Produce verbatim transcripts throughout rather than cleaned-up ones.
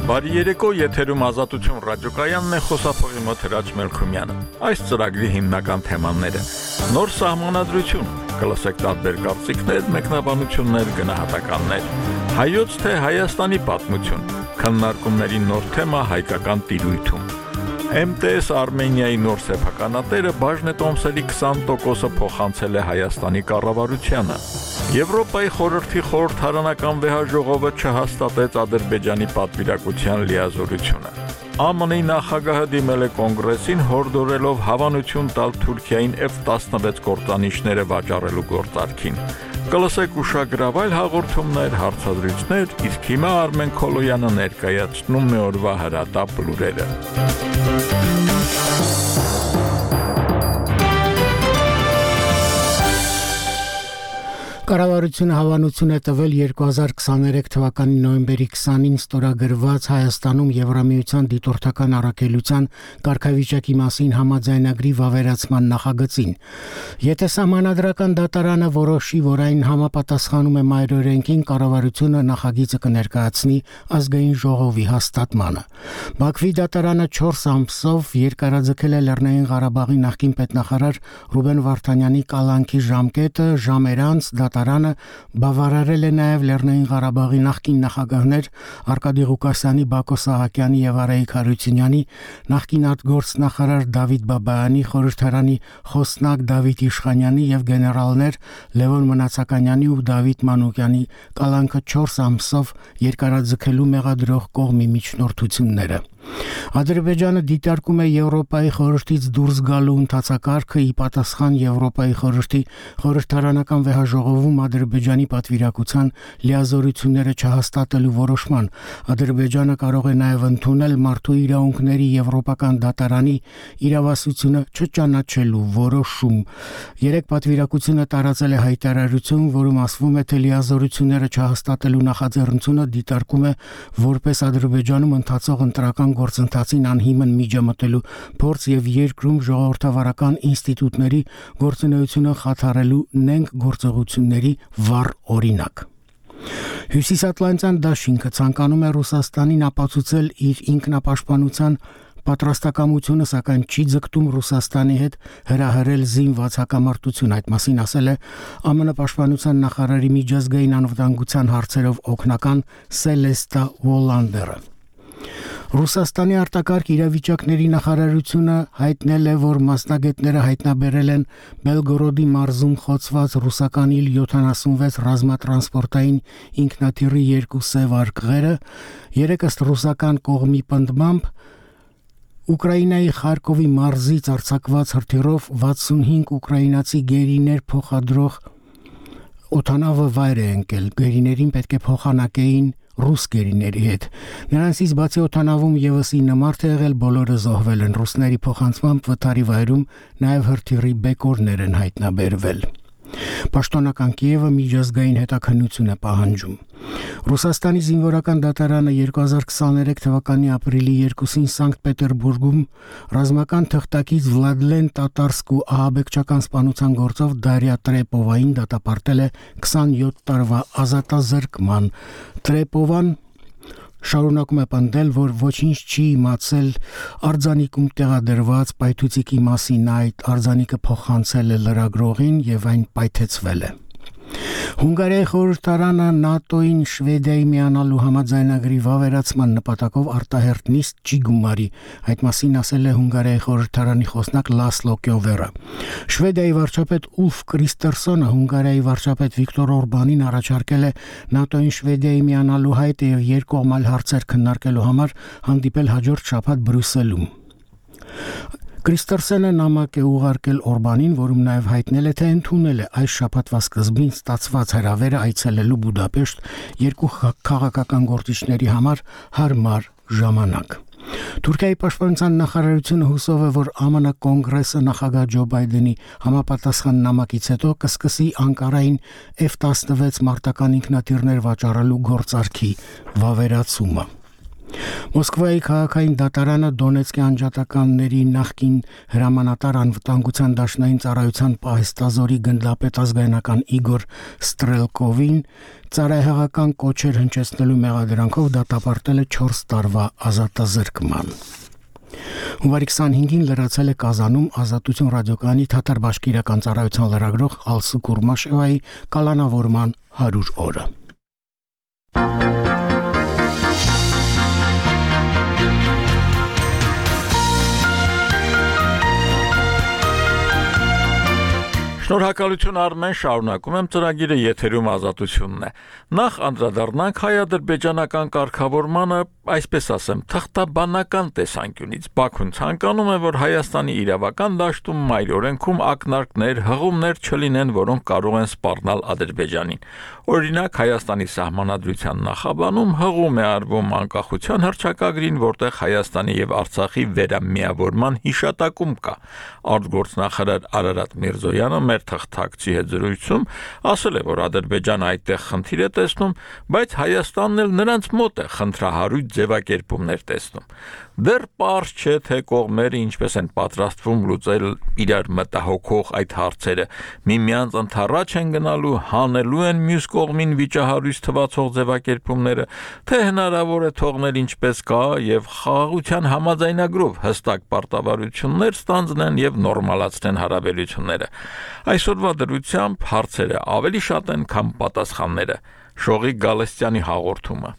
Բարի երեկո, եթերում Ազատություն ռադիոկայանն է, խոսափողի մոտ Հրաչ Մելքումյանը։ Այս ծրագրի հիմնական թեմաները՝ նոր սահմանադրություն, կլսեք տարբեր կարծիքներ, մեկնաբանություններ, գնահատականներ, հայոց թե Հայաստանի պատմություն, քննարկումների նոր թեմա հայկական տիրույթում։ Էմ Տե Էս Արմենիայի նոր սեփականատերը բաժնետոմսերի քսան տոկոսը փոխանցել է Հայաստանի կառավարությանը։ Եվրոպայի խորհրդի խորհրդարանական վեհաժողովը չհաստատեց Ադրբեջանի պատվիրակության լիազորությունը։ Ա Մ Ն-ի նախագահը դիմել է կոնգրեսին հորդորելով հավանություն տալ Թուրքիային Էֆ տասնվեց կործանիչները վաճառելու գործարքին։ Կլսեք ուշագրավայր հաղորդումներ, հարցադրույթներ, իսկ հիմա Արմեն Քոլոյանը ներկայացնում է օրվա հրատապ լուրերը։ Կառավարությունը հավանություն է տվել երկու հազար քսաներեք թվականի նոյեմբերի քսանին ստորագրված Հայաստանում Եվրամիության դիտորդական առաքելության կարգավիճակի մասին համաձայնագրի վավերացման նախագծին։ Եթե սահմանադրական դատարանը որոշի, որ այն համապատասխանում է մայրօրենքին, կառավարությունը նախագիծը կներկայացնի ազգային ժողովի հաստատմանը։ Բաքվի դատարանը չորս ամսով երկարաձգել է Լեռնային Ղարաբաղի նախկին պետնախարար Ռուբեն Վարդանյանի կալանքի ժամկետը, ժամեր անց Դատարանը բավարարել է նաև Լեռնային Ղարաբաղի նախկին նախագահներ Արկադի Ղուկասյանի, Բակո Սահակյանի և Արայիկ Հարությունյանի, նախկին արտգործնախարար Դավիթ Բաբայանի, խորհրդարանի խոսնակ Դավիթ Իշխանյանի և գեներալներ Լևոն Մնացականյանի ու Դավիթ Մանուկյանի կալանքը չորս ամսով երկարաձգելու մեղադրող կողմի միջնորդությունները։ Ադրբեջանը դիտարկում է Եվրոպայի խորհրդից դուրս գալու ընթացակարգը ի պատասխան Եվրոպայի խորհրդի խորհրդարանական վեհաժողովում Ադրբեջանի պատվիրակության լիազորությունները չհաստատելու որոշման։ Ադրբեջանը կարող է նաև ընդունել մարդու իրավունքների եվրոպական դատարանի իրավասությունը չճանաչելու որոշում։ Երեք պատվիրակությունը տարածել է հայտարարություն, որում ասվում է, թե լիազորությունները չհաստատելու նախաձեռնությունը դիտարկում է որպես Ադրբեջանում ընթացող ընտրական գործընթացին անհիմն միջամտելու փորձ եւ երկրում ժողովրդավարական ինստիտուտների գործունեությունը խաթարելու նենգ գործողությունների վառ օրինակ։ Հյուսիսատլանտյան դաշինքը ցանկանում է Ռուսաստանին ապացուցել իր ինքնապաշտպանության պատրաստակամությունը, սակայն չի ձգտում Ռուսաստանի հետ հրահրել զինված հակամարտություն։ Այդ մասին ասել է Ա Մ Ն պաշտպանության նախարարի միջազգային անվտանգության հարցերով օգնական Սելեստա Վոլանդերը։ Ռուսաստանի արտակարգ իրավիճակների նախարարությունը հայտնել է, որ մասնագետները հայտնաբերել են Բելգորոդի մարզում խոցված ռուսական իլ յոթանասունվեց ռազմատրանսպորտային ինքնաթիռի երկու սև արկղերը, երեք ըստ ռուսական կողմի պնդմամբ Ուկրաինայի Խարկովի մարզից արձակված հրթիռով վաթսունհինգ ուկրաինացի գերիներ փոխադրող օդանավը վայր է ընկել։ Գերիներին պետք է փոխանակեին ռուս գերիների հետ։ Նրանցից բացի օդանավում եւս ինը մարդ է եղել, բոլորը զոհվել են։ Ռուսների փոխանցմամբ վթարի վայրում նաև հրթիռի բեկորներ են հայտնաբերվել։ Պաշտոնական Կիևը միջազգային հետաքննություն է պահանջում։ Ռուսաստանի զինվորական դատարանը երկու հազար քսաներեք թվականի ապրիլի երկուսին Սանկտ Պետերբուրգում ռազմական թղթակից Վլադլեն Տատարսկու ահաբեկչական սպանության գործով Դարիա Տրեպովային դատապարտել է քսանյոթ տարվա ազատազրկման։ Տրեպովան շարունակում է պնդել, որ ոչինչ չի իմացել արձանիկում տեղադրված պայթուցիկի մասին, այդ արձանիկը փոխանցել է լրագրողին եւ այն պայթեցվել է։ Հունգարիայի խորհրդարանը ՆԱՏՕ-ին Շվեդիայի միանալու համաձայնագրի վավերացման նպատակով արտահերթ նիստ չի գումարի։ Այդ մասին ասել է Հունգարիայի խորհրդարանի խոսնակ Լասլո Կյովերը։ Շվեդիայի վարչապետ Ուլֆ Կրիստերսոնը Հունգարիայի վարչապետ Վիկտոր Օրբանին առաջարկել է ՆԱՏՕ-ին Շվեդիայի միանալու հայտը եւ երկկողմալ հարցեր քննարկելու համար հանդիպել հաջորդ շաբաթ Բրյուսելում։ Կրիստերսենը նամակ է ուղարկել Օրբանին, որում նաև հայտնել է, թե ընդունել է այս շաբաթվա սկզբին ստացված հրավերը այցելելու Բուդապեշտ երկու քաղաքական գործիչների համար հարմար ժամանակ։ Թուրքիայի պաշտպանության նախարարությունը հուսով է, որ Ա Մ Ն կոնգրեսը նախագահ Ջո Բայդենի համապատասխան նամակից հետո կսկսի Անկարային Էֆ տասնվեց մարտական ինքնաթիռներ վաճառելու գործարքի վավերացումը։ Մոսկվայի քաղաքային դատարանը Դոնեցկի անջատականների նախկին հրամանատար անվտանգության դաշնային ծառայության պահեստազորի գնդապետ ազգայնական Իգոր Ստրելկովին ծառայողական կոչեր հնչեցնելու մեղադրանքով դատապարտել է չորս տարվա ազատազրկման։ Հունվարի քսանհինգին լրացել է Կազանում Ազատություն ռադիոկայանի թաթար-բաշկիրական ծառայության լրագրող Ալսու Կուրմաշևայի կալանավորման հարյուր օրը։ Շնորհակալություն Արմեն, շարունակում եմ ծրագիրը եթերում Ազատությունն է։ Նախ անդրադառնանք հայ-ադրբեջանական կարգավորմանը, այսպես ասեմ, թղթաբանական տեսանկյունից։ Բաքուն ցանկանում է, որ Հայաստանի իրավական դաշտում մայր օրենքում ակնարկներ, հղումներ չլինեն, որոնք կարող են սպառնալ Ադրբեջանին։ Օրինակ, Հայաստանի սահմանադրության նախաբանում հղում է արվում անկախության հռչակագրին, որտեղ Հայաստանի եւ Արցախի վերամիավորման հիշատակում կա։ Արտգործնախարար Արարատ Միրզոյանը մեր թղթակցի հետ զրույցում ասել է, որ Ադրբեջանը այդտեղ խնդիր է տեսնում, բայց Հայաստանն էլ նրանց մոտ է խնդրահարույց ձևակերպումներ տեսնում։ Դեռ պարզ չէ, թե կողմերը ինչպես են պատրաստվում լուծել իրար մտահոգող այդ հարցերը, միմյանց ընդառաջ են գնալու, հանելու են մյուս կողմին վիճահարույց թվացող ձևակերպումները, թե հնարավոր է թողնել ինչպես կա եւ խաղաղության համաձայնագրով հստակ պարտավորություններ ստանձնեն եւ նորմալացնեն հարաբերությունները։ Այսօրվա դրությամբ հարցերը ավելի շատ են, քան պատասխանները։ Շողիկ Գալստյանի հաղորդումը։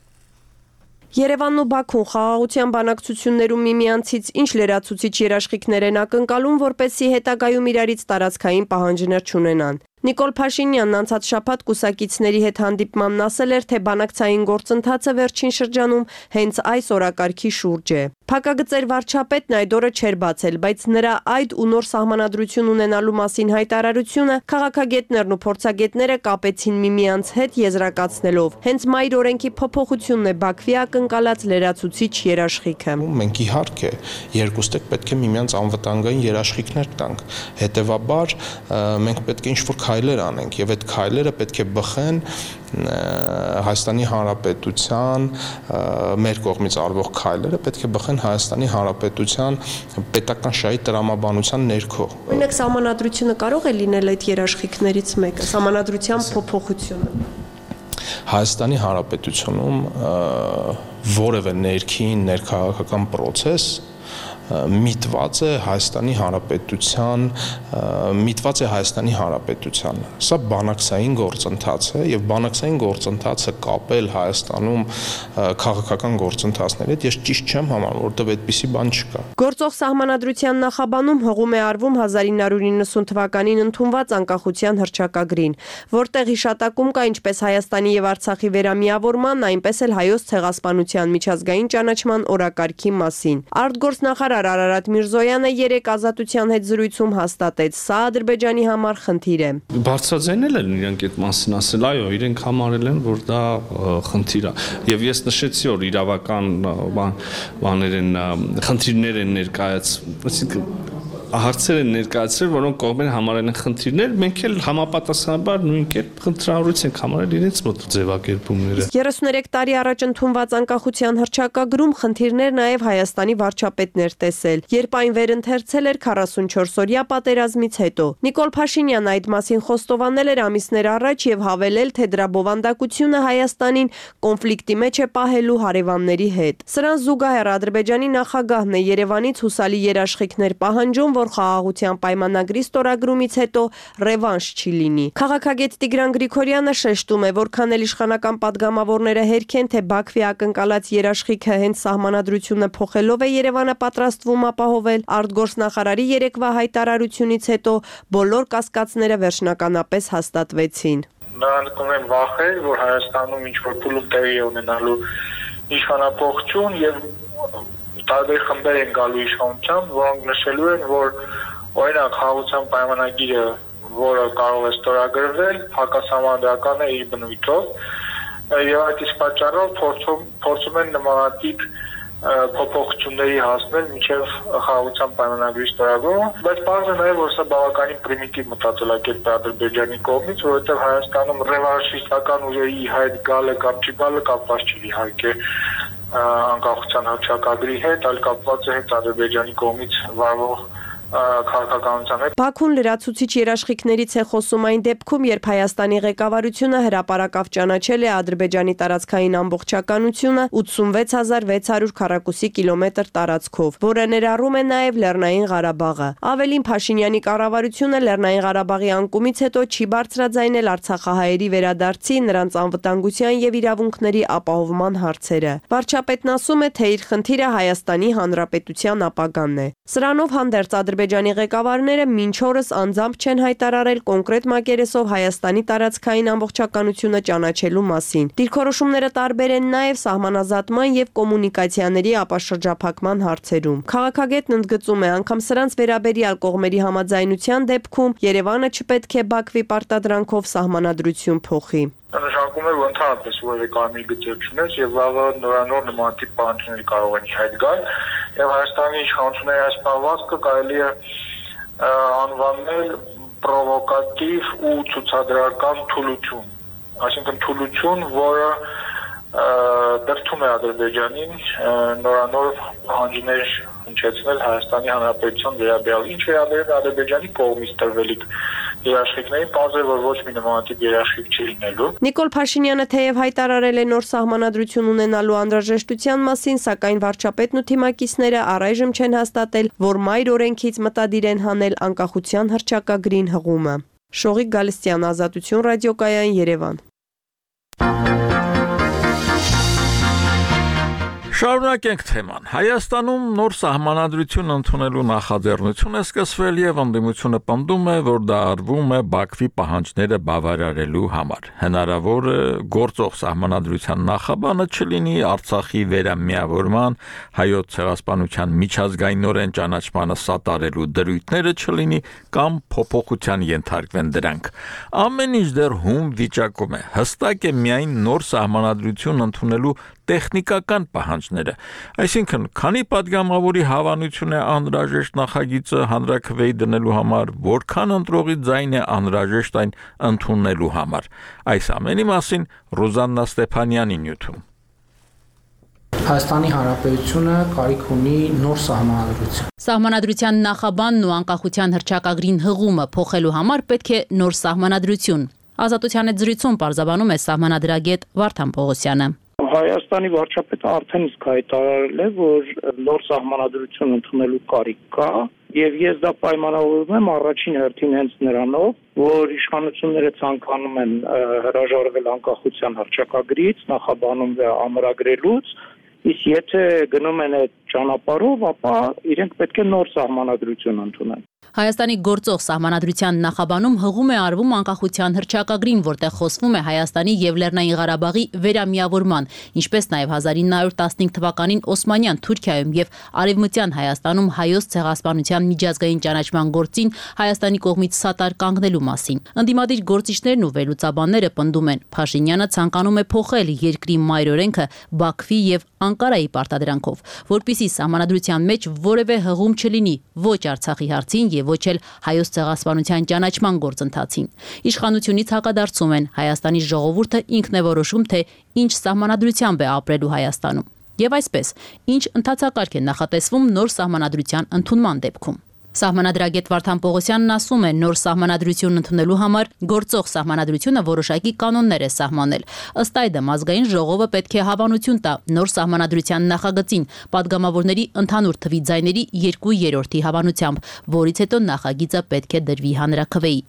Երևանն ու Բաքուն խաղաղության բանակցություններում միմյանցից ինչ լրացուցիչ երաշխիքներ են ակնկալում, որպեսզի հետագայում իրարից տարածքային պահանջներ չունենան։ Նիկոլ Փաշինյանն անցած շաբաթ կուսակիցների հետ հանդիպմանն ասել էր, թե բանակցային գործընթացը վերջին շրջանում հենց այս օրակարգի շուրջ է։ Փակագծեր վարչապետն այդ օրը չէր բացել, բայց նրա այդ ու նոր սահմանադրություն ունենալու մասին հայտարարությունը քաղաքագետներն ու փորձագետները կապեցին միմյանց հետ եզրակացնելով։ Հենց մայր օրենքի փոփոխությունն է Բաքվի ակնկալած լրացուցիչ երաշխիքը։ Մենք իհարկե երկուստեք պետք է միմյանց անվտանգային երաշխիքներ տանք։ Հետևաբար մենք պետք է ինչ-որ քայլեր անենք եւ այդ քայլերը պետք է բխեն Հայաստանի Հանրապետության մեր կողմից արվող քայլերը պետք է բխեն Հայաստանի Հանրապետության պետական շահի տրամաբանության ներքո։ Օրինակ սահմանադրությունը կարող է լինել այդ երաշխիքներից մեկը, սահմանադրության փոփոխությունը։ Հայաստանի Հանրապետությունում որևէ ներքին ներքաղաքական process միտված է Հայաստանի Հանրապետության միտված է Հայաստանի Հանրապետության։ Սա բանակցային գործընթաց է եւ բանակցային գործընթացը կապել Հայաստանում քաղաքական գործընթացների հետ ես ճիշտ չեմ համարում, որովհետեւ այդպիսի բան չկա։ Գործող սահմանադրության նախաբանում հղում է արվում հազար ինը հարյուր նվնասուն թվականին ընդունված անկախության հռչակագրին, որտեղ հիշատակում կա ինչպես Հայաստանի եւ Արցախի վերամիավորման, այնպես էլ հայոց ցեղասպանության միջազգային ճանաչման օրակարգի մասին։ Արտգործնախարար Արարատ Միրզոյանը երեք Ազատության հետ զրույցում հաստատեց, սա Ադրբեջանի համար խնդիր է։ Բարձրաձայնել են իրենք այդ մասին ասել, այո, իրենք համարել են, որ դա խնդիր է։ Եվ ես նշեցի, որ իրավական բաներ են, խնդիրներ են ներկայացվում, հարցեր են ներկայացրել, որոնք կողմերը համարել են խնդիրներ, մենք էլ համապատասխանաբար նույն կերպ խնդրահարույց ենք համարել իրենց մոտ ձևակերպումները։ երեսուներեք տարի առաջ ընդունված անկախության հռչակագրում խնդիրներ նաև Հայաստանի վարչապետն էր տեսել, երբ այն վերընթերցել էր քառասունչորսօրյա պատերազմից հետո։ Նիկոլ Փաշինյանն այդ մասին խոստովանել էր ամիսներ առաջ եւ հավելել, թե դրա բովանդակությունը Հայաստանին կոնֆլիկտի մեջ է պահելու հարևանների հետ։ Սրան զուգահեռ Ադրբեջանի նախագահն է Երևանից հուսալի երաշխիքներ պահանջում, որ խաղաղության պայմանագրի ստորագրումից հետո ռևանշ չի լինի։ Քաղաքագետ Տիգրան Գրիգորյանը շեշտում է, որքան էլ իշխանական падգամավորները հերքեն, թե Բաքվի ակնկալած երաշխիքը հենց սահմանադրությունը փոխելով է Երևանը պատրաստվում ապահովել, արտգործնախարարի երեկվա հայտարարությունից հետո բոլոր կասկածները վերջնականապես հաստատվեցին։ Նրանք ունեն վախեր, որ Հայաստանում ինչ-որ փուլում տեղի է ունենալու իշխանապողություն եւ տարբեր խմբեր են գալու իշխանության, որոնք նշելու են, որ օրինակ խաղաղության պայմանագիրը, որը կարող է ստորագրվել, հակասահմանադրական է իր բնույթով, եւ այդ իսկ պատճառով փորձում փորձում են նմանատիպ փոփոխությունների հասնել մինչև խաղաղության պայմանագրի ստորագրումը, բայց բարձր է նաեւ, որ սա բավականին պրիմիտիվ մտածելակերպ է Ադրբեջանի կողմից, որովհետեւ Հայաստանում ռևանշիստական ուժերի հայտ գալը կամ չգալը կապված չի իհարկե անկախության հռչակագրի հետ, այլ կապված է հետ Ադրբեջանի կողմից վարվող քաղաքականության հետ։ Բաքուն լրացուցիչ երաշխիքներից է խոսում այն դեպքում, երբ Հայաստանի ղեկավարությունը հրապարակավ ճանաչել է Ադրբեջանի տարածքային ամբողջականությունը ութսունվեց հազար վեց հարյուր քառակուսի կիլոմետր տարածքով, որը ներառում է նաև Լեռնային Ղարաբաղը։ Ավելին, Փաշինյանի կառավարությունը Լեռնային Ղարաբաղի անկումից հետո չի բարձրաձայնել արցախահայերի վերադարձի, նրանց անվտանգության եւ իրավունքների ապահովման հարցերը։ Վարչապետն ասում է, թե իր խնդիրը Հայաստանի Հանրապետության ապագան է։ Սրանով հանդերձ Ադրբեջանի ղեկավարները մինչ օրս անձամբ չեն հայտարարել կոնկրետ մակերեսով Հայաստանի տարածքային ամբողջականությունը ճանաչելու մասին։ Դիրքորոշումները տարբեր են նաև սահմանազատման եւ կոմունիկացիաների ապաշրջափակման հարցերում։ Քաղաքագետն ընդգծում է, անգամ սրանց վերաբերյալ կողմերի համաձայնության դեպքում Երևանը չպետք է Բաքվի պարտադրանքով սահմանադրություն փոխի։ Նշանակում է, որ ընդհանրապես որևէ կարմիր գծեր չունես եւ վաղը նորանոր նմանատիպ պահանջներ կարող են հայտ գալ եւ Հայաստանի իշխանությունների այս պահվածքը կարելի է անվանել պրովոկատիվ ու ցուցադրական թուլություն, այսինքն թուլություն, որը դրդում է Ադրբեջանին նորանոր պահանջներ հնչեցնել Հայաստանի Հանրապետության վերաբերյալ, ինչ վերաբերում է Ադրբեջանի կողմից տրվելիք երաշխիքներին, պարզ է, որ ոչ մի նմանատիպ երաշխիք չի լինելու։ Նիկոլ Փաշինյանը թեև հայտարարել է նոր սահմանադրություն ունենալու անհրաժեշտության մասին, սակայն վարչապետն ու թիմակիցները առայժմ չեն հաստատել, որ մայր օրենքից մտադիր են հանել անկախության հռչակագրին հղումը։ Շողիկ Գալստյան, Ազատություն ռադիոկայան, Երևան։ Շարունակենք թեման։ Հայաստանում նոր սահմանադրություն ընդունելու նախաձեռնություն է սկսվել եւ ընդդիմությունը պնդում է, որ դա արվում է Բաքվի պահանջները բավարարելու համար։ Հնարավոր է գործող սահմանադրության նախաբանը չլինի Արցախի վերամիավորման, հայոց ցեղասպանության միջազգայինորեն ճանաչմանը սատարելու դրույթները չլինի կամ փոփոխության ենթարկվեն դրանք։ Ամեն ինչ դեռ հում վիճակում է։ Հստակ է միայն նոր սահմանադրություն ընդունելու տեխնիկական պահանջները, այսինքն քանի պատգամավորի հավանություն է անհրաժեշտ նախագիծը հանրաքվեի դնելու համար, որքան ընտրողի ձայն է անհրաժեշտ այն ընդունելու համար։ Այս ամենի մասին Ռուզաննա Ստեփանյանի նյութում։ Հայաստանի Հանրապետությունը կարիք ունի նոր սահմանադրություն։ Սահմանադրության նախաբանն ու անկախության հռչակագրին հղումը փոխելու համար պետք է նոր սահմանադրություն։ Ազատության հետ զրույցում պարզաբանում է սահմանադրագետ Վարդան Պողոսյանը։ Հայաստանի վարչապետը արդեն իսկ հայտարարել է, որ նոր սահմանադրություն ընդունելու կարիք կա, եւ ես դա պայմանավորում եմ առաջին հերթին հենց նրանով, որ իշխանությունները ցանկանում են հրաժարվել անկախության հռչակագրից, նախաբանում դա ամրագրելուց, իսկ եթե գնում են այդ ճանապարհով, ապա իրենք պետք է նոր սահմանադրություն ընդունեն։ Հայաստանի գործող սահմանադրության նախաբանում հղում է արվում անկախության հռչակագրին, որտեղ խոսվում է Հայաստանի եւ Լեռնային Ղարաբաղի վերամիավորման, ինչպես նաեւ հազար ինը հարյուր տասնհինգ թվականին Օսմանյան Թուրքիայում եւ Արևմտյան Հայաստանում հայոց ցեղասպանության միջազգային ճանաչման գործին Հայաստանի կողմից սատար կանգնելու մասին։ Ընդդիմադիր գործիչներն ու վերլուծաբանները պնդում են, Փաշինյանը ցանկանում է փոխել երկրի մայր օրենքը Բաքվի եւ Անկարայի պարտադրանքով, որպիսի սահմանադրության մեջ որևէ հղում չլինի ոչ Արցախի հարցին եւ ոչ էլ հայոց ցեղասպանության ճանաչման գործընթացին։ Իշխանությունից հակադարձում են Հայաստանի ժողովուրդը ինքն է որոշում, թե ինչ սահմանադրությամբ է ապրելու Հայաստանում։ Եվ այսպես, ինչ ընթացակարգ է նախատեսվում նոր սահմանադրության ընդունման դեպքում։ Սահմանադրագետ Վարդան Պողոսյանն ասում է, նոր սահմանադրություն ընդունելու համար գործող սահմանադրությունը որոշակի կանոններ է սահմանել։ Ըստ այդմ ազգային ժողովը պետք է հավանություն տա նոր սահմանադրության նախագծին падգամավորների ընդհանուր թվի ձայների երկու երրորդի հավանությամբ, որից հետո նախագիծը պետք է դրվի հանրաքվեի։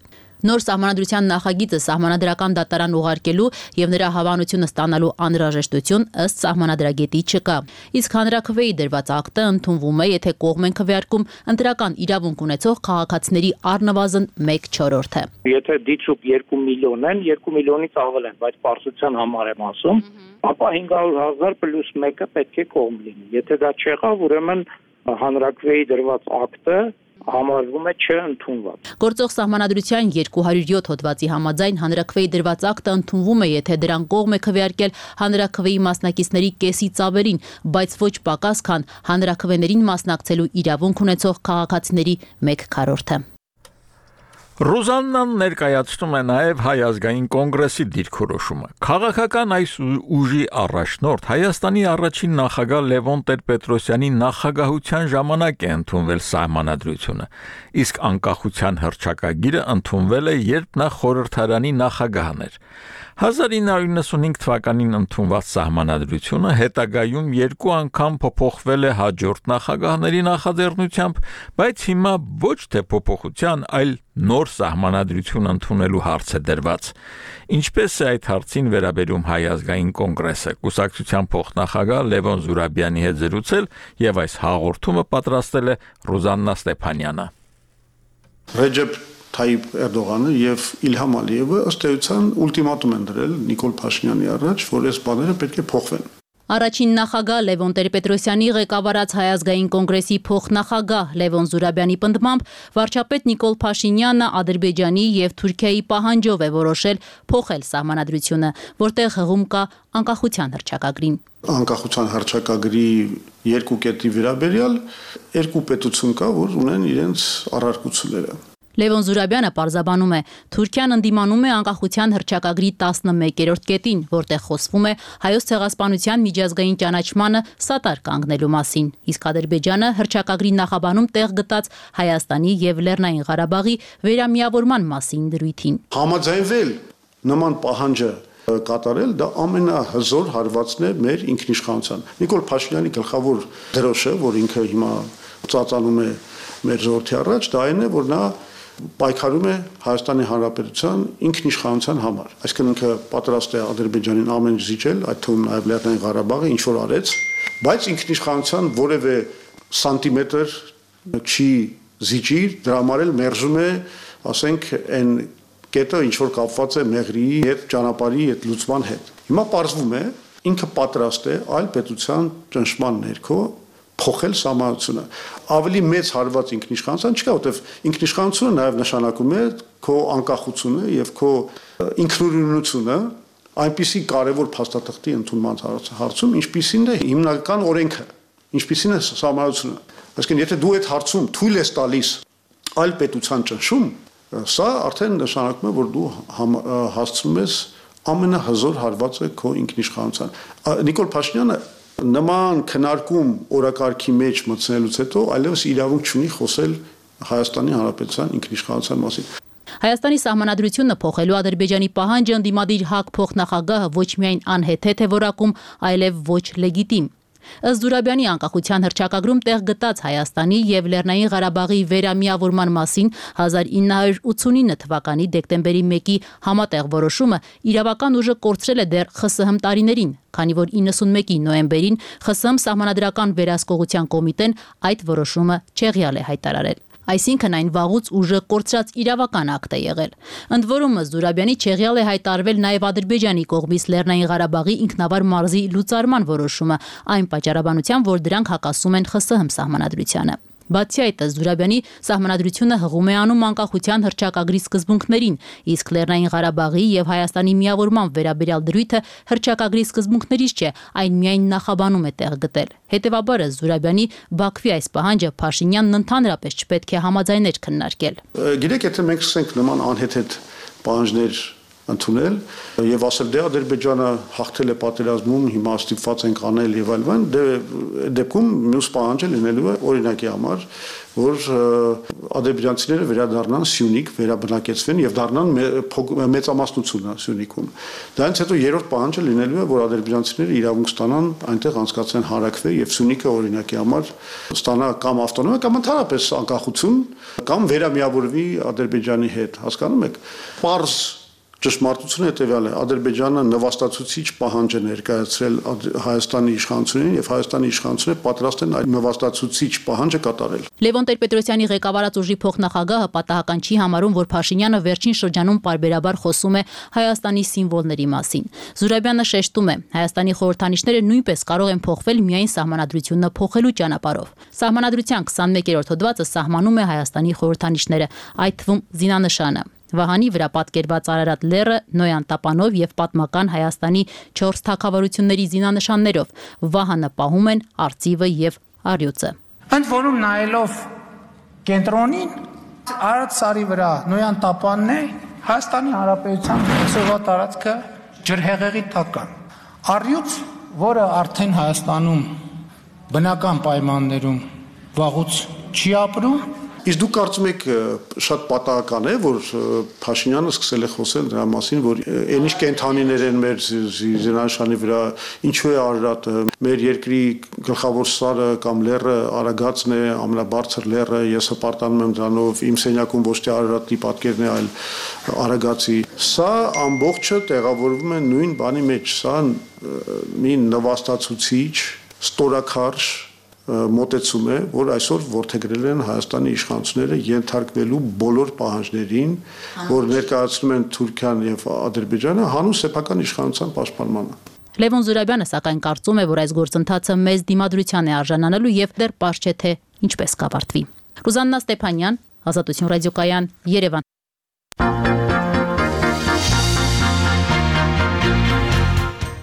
Նոր սահմանադրության նախագիծը սահմանադրական դատարան ուղարկելու եւ նրա հավանությունը ստանալու անհրաժեշտություն ըստ սահմանադրագետի չկա։ Իսկ հանրաքվեի դրված ակտը ընդունվում է, եթե կողմ են քվեարկում ընտրական իրավունք ունեցող քաղաքացիների առնվազն մեկ չորրորդը։ Եթե դիցուկ երկու միլիոն են, երկու միլիոնից ավել են, բայց պարզության համար եմ ասում, ապա հինգ հարյուր հազար պլյուս մեկը պետք է կողմ լինի։ Եթե դա չեղավ, ուրեմն հանրաքվեի դրված ակտը համարվում է չընդունված։ Գործող սահմանադրության երկու հարյուր յոթ հոդվածի համաձայն հանրաքվեի դրված ակտը ընդունվում է, եթե դրան կողմ է քվեարկել հանրաքվեի մասնակիցների կեսից ավելին, բայց ոչ պակաս, քան հանրաքվեներին մասնակցելու իրավունք ունեցող քաղաքացիների մեկ քառորդը։ Ռուզաննան ներկայացնում է նաև Հայ ազգային կոնգրեսի դիրքորոշումը։ Քաղաքական այս ուժի առաջնորդ Հայաստանի առաջին նախագահ Լևոն Տեր-Պետրոսյանի նախագահության ժամանակ է ընդունվել սահմանադրությունը, իսկ անկախության հռչակագիրը ընդունվել է, երբ նա խորհրդարանի նախագահն էր։ հազար ինը հարյուր նվաթ թվականին ընդունված սահմանադրությունը հետագայում երկու անգամ փոփոխվել է հաջորդ նախագահների նախաձեռնությամբ, բայց հիմա ոչ թե փոփոխության, այլ նոր սահմանադրություն ընդունելու հարց է դրված։ Ինչպես է այդ հարցին վերաբերում Հայ ազգային կոնգրեսը, կուսակցության փոխնախագահ Լևոն Զուրաբյանի հետ զրուցել եւ այս հաղորդումը պատրաստել է Ռուզաննա Ստեփանյանը։ Ռեջեփ Թայիպ Էրդողանը եւ Իլհամ Ալիևը ըստ էության ուլտիմատում են դրել Նիկոլ Փաշինյանի առաջ, որ այս բաները պետք է փոխվեն։ Առաջին նախագահ Լևոն Տեր-Պետրոսյանի ղեկավարած Հայ ազգային կոնգրեսի փոխնախագահ Լևոն Զուրաբյանի պնդմամբ վարչապետ Նիկոլ Փաշինյանը Ադրբեջանի եւ Թուրքիայի պահանջով է որոշել փոխել սահմանադրությունը, որտեղ հղում կա անկախության հռչակագրին։ Անկախության հռչակագրի երկու կետի վերաբերյալ երկու պետություն կա, որ ունեն իրենց առարկությունները։ Լևոն Զուրաբյանը պարզաբանում է, Թուրքիան ընդդիմանում է անկախության հռչակագրի տասնմեկերորդ կետին, որտեղ խոսվում է հայոց ցեղասպանության միջազգային ճանաչմանը սատար կանգնելու մասին, իսկ Ադրբեջանը հռչակագրի նախաբանում տեղ գտած Հայաստանի եւ Լեռնային Ղարաբաղի վերամիավորման մասին դրույթին։ Համաձայնվել նման պահանջը կատարել, դա ամենահզոր հարվածն է մեր ինքնիշխանության։ Նիկոլ Փաշինյանի գլխավոր դրոշը, որ ինքը հիմա ծածանում է մեր ժողովրդի առաջ, դա այն է, որ նա պայքարում է Հայաստանի Հանրապետության ինքնիշխանության համար։ Այսինքն ինքը պատրաստ է Ադրբեջանին ամեն ինչ զիջել, այդ թվում նաև Լեռնային Ղարաբաղը, ինչ որ արեց, բայց ինքնիշխանության որևէ սանտիմետր չի զիջի, դրա համար էլ մերժում է, ասենք, այն կետը, ինչ որ կապված է Մեղրիի հետ, ճանապարհի հետ, լուծման հետ։ Հիմա պարզվում է, ինքը պատրաստ է այլ պետության ճնշման ներքո փոխել սահմանությունը։ Ավելի մեծ հարված ինքնիշխանության չկա, որտեղ ինքնիշխանությունը նաև նշանակում է քո անկախությունը եւ քո ինքնուրույնությունը այնպիսի կարևոր փաստաթղթի ընդունման հարցում, ինչպիսին է հիմնական օրենքը, ինչպիսին է սահմանությունը։ Այսինքն, եթե դու այդ հարցում թույլ ես տալիս այլ պետության ճնշում, սա արդեն նշանակում է, որ դու հասցնում ես ամենահզոր հարվածը քո ինքնիշխանության։ Նիկոլ Փաշինյանը նման քննարկում օրակարգի մեջ մտցնելուց հետո այլևս իրավունք չունի խոսել Հայաստանի Հանրապետության ինքնիշխանության մասին։ Հայաստանի սահմանադրությունը փոխելու Ադրբեջանի պահանջը ընդդիմադիր ՀԱԿ փոխնախագահը ոչ միայն անհեթեթ է որակում, այլև ոչ լեգիտիմ։ Ըստ Զուրաբյանի անկախության հռչակագրում տեղ գտած Հայաստանի եւ Լեռնային Ղարաբաղի վերամիավորման մասին հազար ինը հարյուր ութսունինը թվականի դեկտեմբերի մեկի համատեղ որոշումը իրավական ուժը կորցրել է դեռ ԽՍՀՄ տարիներին, քանի որ իննսունմեկի նոյեմբերին ԽՍՀՄ սահմանադրական վերահսկողության կոմիտեն այդ որոշումը չեղյալ է հայտարարել։ Այսինքն այն վաղուց ուժը կորցրած իրավական ակտ է եղել։ Ընդ որում Զուրաբյանի չեղյալ է հայտարվել նաև Ադրբեջանի կողմից Լեռնային Ղարաբաղի ինքնավար մարզի լուծարման որոշումը, այն պատճառաբանությամբ, որ դրանք հակասում են ԽՍՀՄ սահմանադրությանը։ Բացի այդ, Զուրաբյանի սահմանադրությունը հղում է անում անկախության հռչակագրի սկզբունքներին, իսկ Լեռնային Ղարաբաղի եւ Հայաստանի միավորման վերաբերյալ դրույթը հռչակագրի սկզբունքներից չէ, այն միայն նախաբանում է տեղ գտել։ Հետևաբար Զուրաբյանի Բաքվի այս պահանջը Փաշինյանն ընդհանրապես չպետք է համաձայներ քննարկել։ Գիտեք, եթե մենք սկսենք նման անհեթեթ պահանջներ ընդունել եւ ասել դե Ադրբեջանը հաղթել է պատերազմում, հիմա ստիպված ենք անել եւ այլն, դե դեպքում մյուս պահանջը լինելու է օրինակի համար, որ ադրբեջանցիները վերադառնան Սյունիք, վերաբնակեցվեն եւ դառնան մեծամասնությունը Սյունիքում։ Դրանից հետո երրորդ պահանջը լինելու է, որ ադրբեջանցիները իրավունք ստանան այնտեղ անցկացնեն հանրաքվե եւ Սյունիքը օրինակի համար ստանա կամ ավտոնոմիա կամ ընդհանրապես անկախություն կամ վերամիավորվի Ադրբեջանի հետ, հասկանում եք։ Պարզ ճշմարտությունը հետևյալ է. Ադրբեջանը նվաստացուցիչ պահանջ է ներկայացրել Հայաստանի իշխանություններին եւ Հայաստանի իշխանությունները պատրաստ են այդ նվաստացուցիչ պահանջը կատարել։ Լևոն Տեր-Պետրոսյանի ղեկավարած ուժի փոխնախագահը պատահական չի համարում, որ Փաշինյանը վերջին շրջանում պարբերաբար խոսում է Հայաստանի սիմվոլների մասին։ Զուրաբյանը շեշտում է, Հայաստանի խորհրդանիշները նույնպես կարող են փոխվել միայն սահմանադրությունը փոխելու ճանապարհով։ Սահմանադրության քսանմեկերորդ հոդվածը սահմանում է Հայաստանի խորհրդանիշները, այդ թվում զինանշանը։ Վահանի վրա պատկերված Արարատ լեռը Նոյան տապանով եւ պատմական Հայաստանի չորս թագավորությունների զինանշաններով Վահանը պահում են արծիվը եւ առյուծը։ Ընդ որում նայելով կենտրոնին Արադ սարի վրա Նոյան տապանն է Հայաստանի Հանրապետության ծովա տարածքը ջրհեղեղի տակն։ Առյուծ, որը արդեն Հայաստանում բնական պայմաններում վաղուց չի ապրում։ Իսկ դուք կարծում եք շատ պատահական է, որ Փաշինյանը սկսել է խոսել դրա մասին, որ այն ինչ կենթանիներ են մեր զինանշանի վրա, ինչու է Արարատը, մեր երկրի գլխավոր սարը կամ լեռը Արագածն է, ամենաբարձր լեռը, ես հպարտանում եմ դրանով, իմ սենյակում ոչ թե Արարատի պատկերն է, այլ Արագածի։ Սա ամբողջը տեղավորվում է նույն բանի մեջ, սա մի նվաստացուցիչ, ստորաքարշ մոտեցում է, որ այսօր որդեգրել են Հայաստանի իշխանությունները ենթարկվելու բոլոր պահանջներին, որ ներկայացնում են Թուրքիան եւ Ադրբեջանը հանուն սեփական իշխանության պաշտպանմանը։ Լևոն Զուրաբյանը սակայն կարծում է, որ այս գործընթացը մեծ դիմադրության է արժանանալու եւ դեռ պարզ չէ թե ինչպես կավարտվի։ Ռուզաննա Ստեփանյան, Ազատություն ռադիոկայան, Երևան։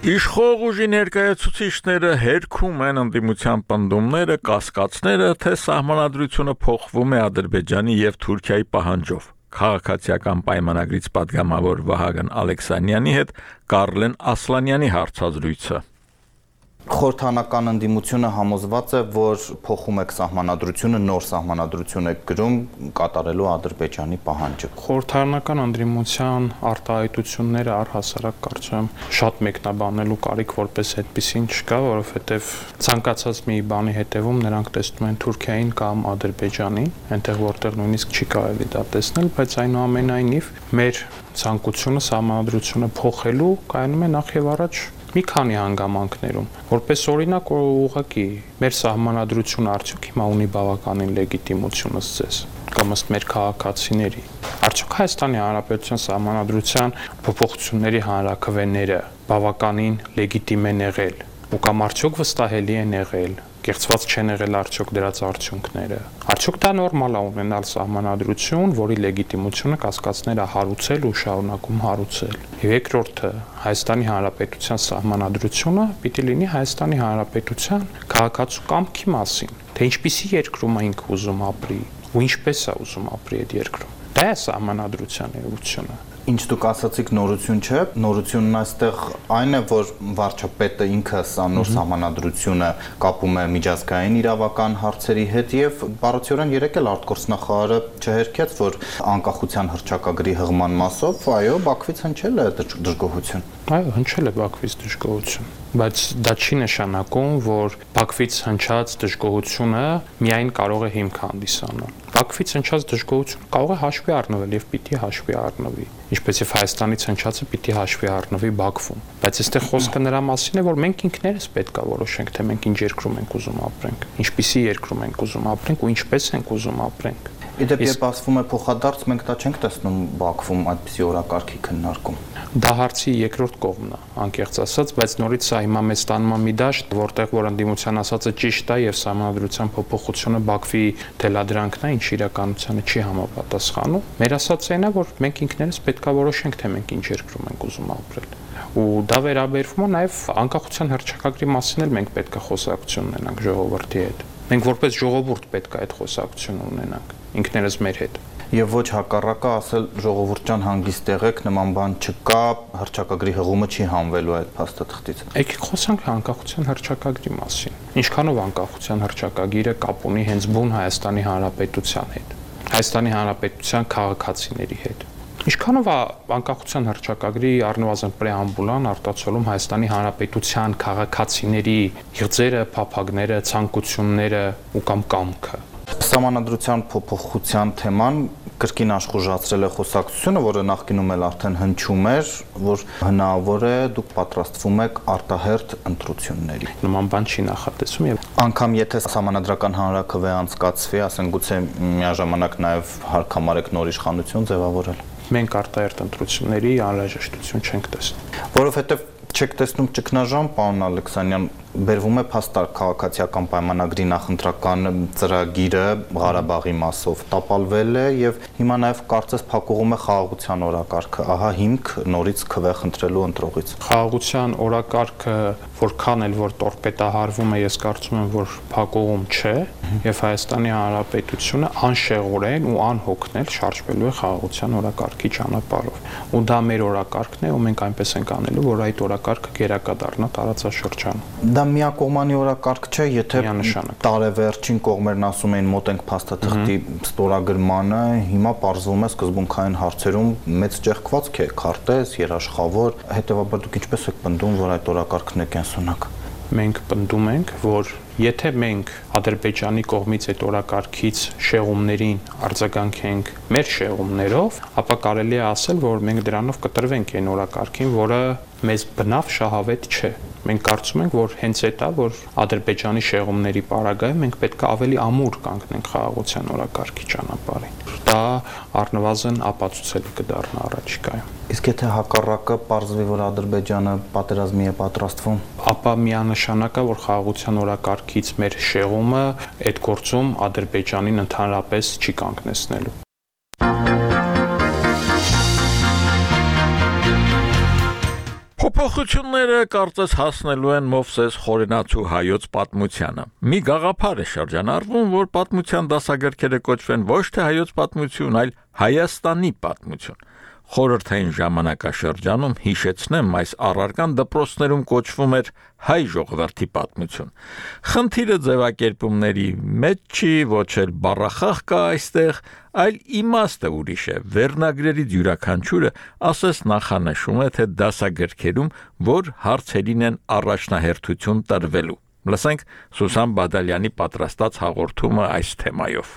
Իշխող ուժի ներկայացուցիչները հերքում են ընդդիմության պնդումները, կասկածները, թե սահմանադրությունը փոխվում է Ադրբեջանի եւ Թուրքիայի պահանջով։ Քաղաքացիական պայմանագրից պատգամավոր Վահագն Ալեքսանյանի հետ Կարլեն Ասլանյանի հարցազրույցը։ Խորհրդանական ընդդիմությունը համոզված է, որ փոխում եք սահմանադրությունը, նոր սահմանադրություն եք գրում կատարելու Ադրբեջանի պահանջը։ Խորհրդանական ընդդիմության արտահայտությունները առհասարակ կարծում եմ շատ մեկնաբանելու կարիք որպես այդպեսին չկա, որովհետև ցանկացած մի բանի հետևում նրանք տեսնում են Թուրքիային կամ Ադրբեջանին, այնտեղ որտեղ նույնիսկ չի կարելի դա տեսնել, բայց այնուամենայնիվ մեր ցանկությունը սահմանադրությունը փոխելու կայանում է նախ եւ առաջ մի քանի հանգամանքներում, որպես օրինակ ուղղակի մեր սահմանադրությունը արդյոք հիմա ունի բավականին լեգիտիմություն ըստ ձեզ կամ ըստ մեր քաղաքացիների։ Արդյոք Հայաստանի Հանրապետության սահմանադրության փոփոխությունների հանրաքվեները բավականին լեգիտիմ են եղել ու կամ արդյոք վստահելի են եղել, կեղծված չեն եղել արդյոք դրած արդյունքները։ Արդյոք դա նորմալ է ունենալ սահմանադրություն, որի լեգիտիմությունը կասկածները հարուցել ու շարունակում հարուցել։ Եվ երկրորդը, Հայաստանի Հանրապետության սահմանադրությունը պիտի լինի Հայաստանի Հանրապետության քաղաքացու կամքի մասին, թե ինչպիսի երկրում է ինքը ուզում ապրի ու ինչպես է ուզում ապրի այդ երկրում։ Դա է սահմանադրության էությունը։ Ինչ դուք ասացիք նորություն չէ, նորությունն այստեղ այն է, որ վարչապետը ինքը սա նոր սահմանադրությունը կապում է միջազգային իրավական հարցերի հետ եւ բառացիորեն երեք էլ արտգործնախարարը չհերքեց, որ անկախության հռչակագրի հղման մասով, այո, Բաքվից հնչել է դժգոհություն։ Այո, հնչել է Բաքվից դժգոհություն, բայց դա չի նշանակում, որ Բաքվից հնչած դժգոհությունը միայն կարող է հիմք հանդիսանալ։ Բաքվից հնչած դժգոհությունը կարող է հաշվի առնվել եւ պիտի հաշվի առնվի, ինչպես եւ Հայաստանից հնչածը պիտի հաշվի առնվի Բաքվում։ Բայց այստեղ խոսքը նրա մասին է, որ մենք ինքներս պետք է որոշենք, թե մենք ինչ երկրում ենք ուզում ապրենք, ինչպիսի երկրում ենք ուզում ապրենք ու ինչպես ենք ուզում ապրենք։ Իդեպ երբ ասվում է փոխադարձ, մենք դա չենք տեսնում Բաքվում այդպիսի օրակարգի քննարկում։ Դա հարցի երկրորդ կողմն է, անկեղծ ասած, բայց նորից սա հիմա մեզ տանում է մի դաշտ, որտեղ որ ընդդիմության ասածը ճիշտ է եւ սահմանադրության փոփոխությունը Բաքվի թելադրանքն է, ինչ իրականությանը չի համապատասխանում։ Մեր ասածը այն է, որ մենք ինքներս պետք է որոշենք, թե մենք ինչ երկրում ենք ուզում ապրել։ Ու դա վերաբերվում է նաեւ անկախության հռչակագրի մասին էլ մենք պետք է խոսակցություն ունենանք ժողովրդի հետ։ Մենք որպես ժողովուրդ պետք է այդ խոսակցությունը ունենանք ինքներս մեր հետ։ Եվ ոչ հակառակը ասել ժողովուրդ ջան հանգիստ եղեք, նման բան չկա, հռչակագրի հղումը չի հանվելու այդ փաստաթղթից։ Եկեք խոսանք անկախության հռչակագրի մասին։ Ինչքանով անկախության հռչակագիրը կապ ունի հենց բուն Հայաստանի Հանրապետության հետ, Հայաստանի Հանրապետության քաղաքացիների հետ։ Ինչքանով է անկախության հռչակագրի առնվազն պրեամբուլան արտացոլում Հայաստանի Հանրապետության քաղաքացիների իղձերը, փափագները, ցանկությունները ու կամ կամքը։ Սահմանադրության փոփոխության թեման կրկին աշխուժացրել է խոսակցությունը, որը նախկինում էլ արդեն հնչում էր, որ հնարավոր է դուք պատրաստվում եք արտահերթ ընտրությունների։ Նման բան չի նախատեսում եւ անգամ եթե սահմանադրական հանրաքվե անցկացվի, ասենք գուցե միաժամանակ նաեւ հարկամարեք նոր իշխանություն ձևավորել։ Մենք արտահերթ ընտրությունների անհրաժեշտություն չենք տեսնում։ Որովհետեւ չեք տեսնում ճգնաժամ, պարոն Ալեքսանյան, բերվում է փաստարկ քաղաքացիական պայմանագրի նախընտրական ծրագիրը Ղարաբաղի մասով տապալվել է եւ հիմա նաեւ կարծես փակուղում է խաղաղության օրակարգը, ահա հիմք նորից քվե խնդրելու ընտրողից։ Խաղաղության օրակարգը որքան էլ որ տորպետահարվում է, ես կարծում եմ, որ փակուղում չէ եւ Հայաստանի Հանրապետությունը անշեղորեն ու անհոգնել շարժվելու է խաղաղության օրակարգի ճանապարհով։ Ու դա մեր օրակարգն է, ու մենք այնպես ենք անելու, որ այդ օրակարգը գերակա դառնա տարածաշրջանում։ Դա միակողմանի օրակարգ չէ, եթե տարեվերջին կողմերն ասում էին մոտ ենք փաստաթղթի ստորագրմանը, հիմա պարզվում է սկզբունքային հարցերում մեծ ճեղքվածք է, քարտեզ, երաշխավոր, հետեւաբար դուք ինչպես եք պնդում, որ այդ օրակարգն է կենսունակ։ Մենք պնդում ենք, որ եթե մենք Ադրբեջանի կողմից այդ օրակարգից շեղումներին արձագանքենք մեր շեղումներով, ապա կարելի է ասել, որ մենք դրանով կտրվենք այն օրակարգին, որը մեզ բնավ շահավետ չէ։ Մենք կարծում ենք, որ հենց այդ է, որ Ադրբեջանի շեղումների պարագայում մենք պետք է ավելի ամուր կանգնենք խաղաղության օրակարգի ճանապարհին։ Դա առնվազն ապացուցելի կդառնա առաջիկայում։ Իսկ եթե հակառակը պարզվի, որ Ադրբեջանը պատերազմի է պատրաստվում, ապա միանշանակ է, որ խաղաղության օրակարգից մեր շեղումը այդ գործում Ադրբեջանին ընդհանրապես չի կանգնեցնելու։ Փոփոխությունները կարծես հասնելու են Մովսես Խորենացու հայոց պատմությանը։ Մի գաղափար է շրջանառվում, որ պատմության դասագրքերը կոչվեն ոչ թե հայոց պատմություն, այլ Հայաստանի պատմություն։ Խորհրդային ժամանակաշրջանում հիշեցնեմ, այս առարկան դպրոցներում կոչվում էր հայ ժողովրդի պատմություն։ Խնդիրը ձևակերպումների մեջ չի, ոչ էլ բառախաղ կա այստեղ, այլ իմաստը ուրիշ է։ Վերնագրերից յուրաքանչյուրը ասես նախանշում է, թե դասագրքերում որ հարցերին են առաջնահերթություն տրվելու։ Լսենք Սուսան Բադալյանի պատրաստած հաղորդումը այս թեմայով։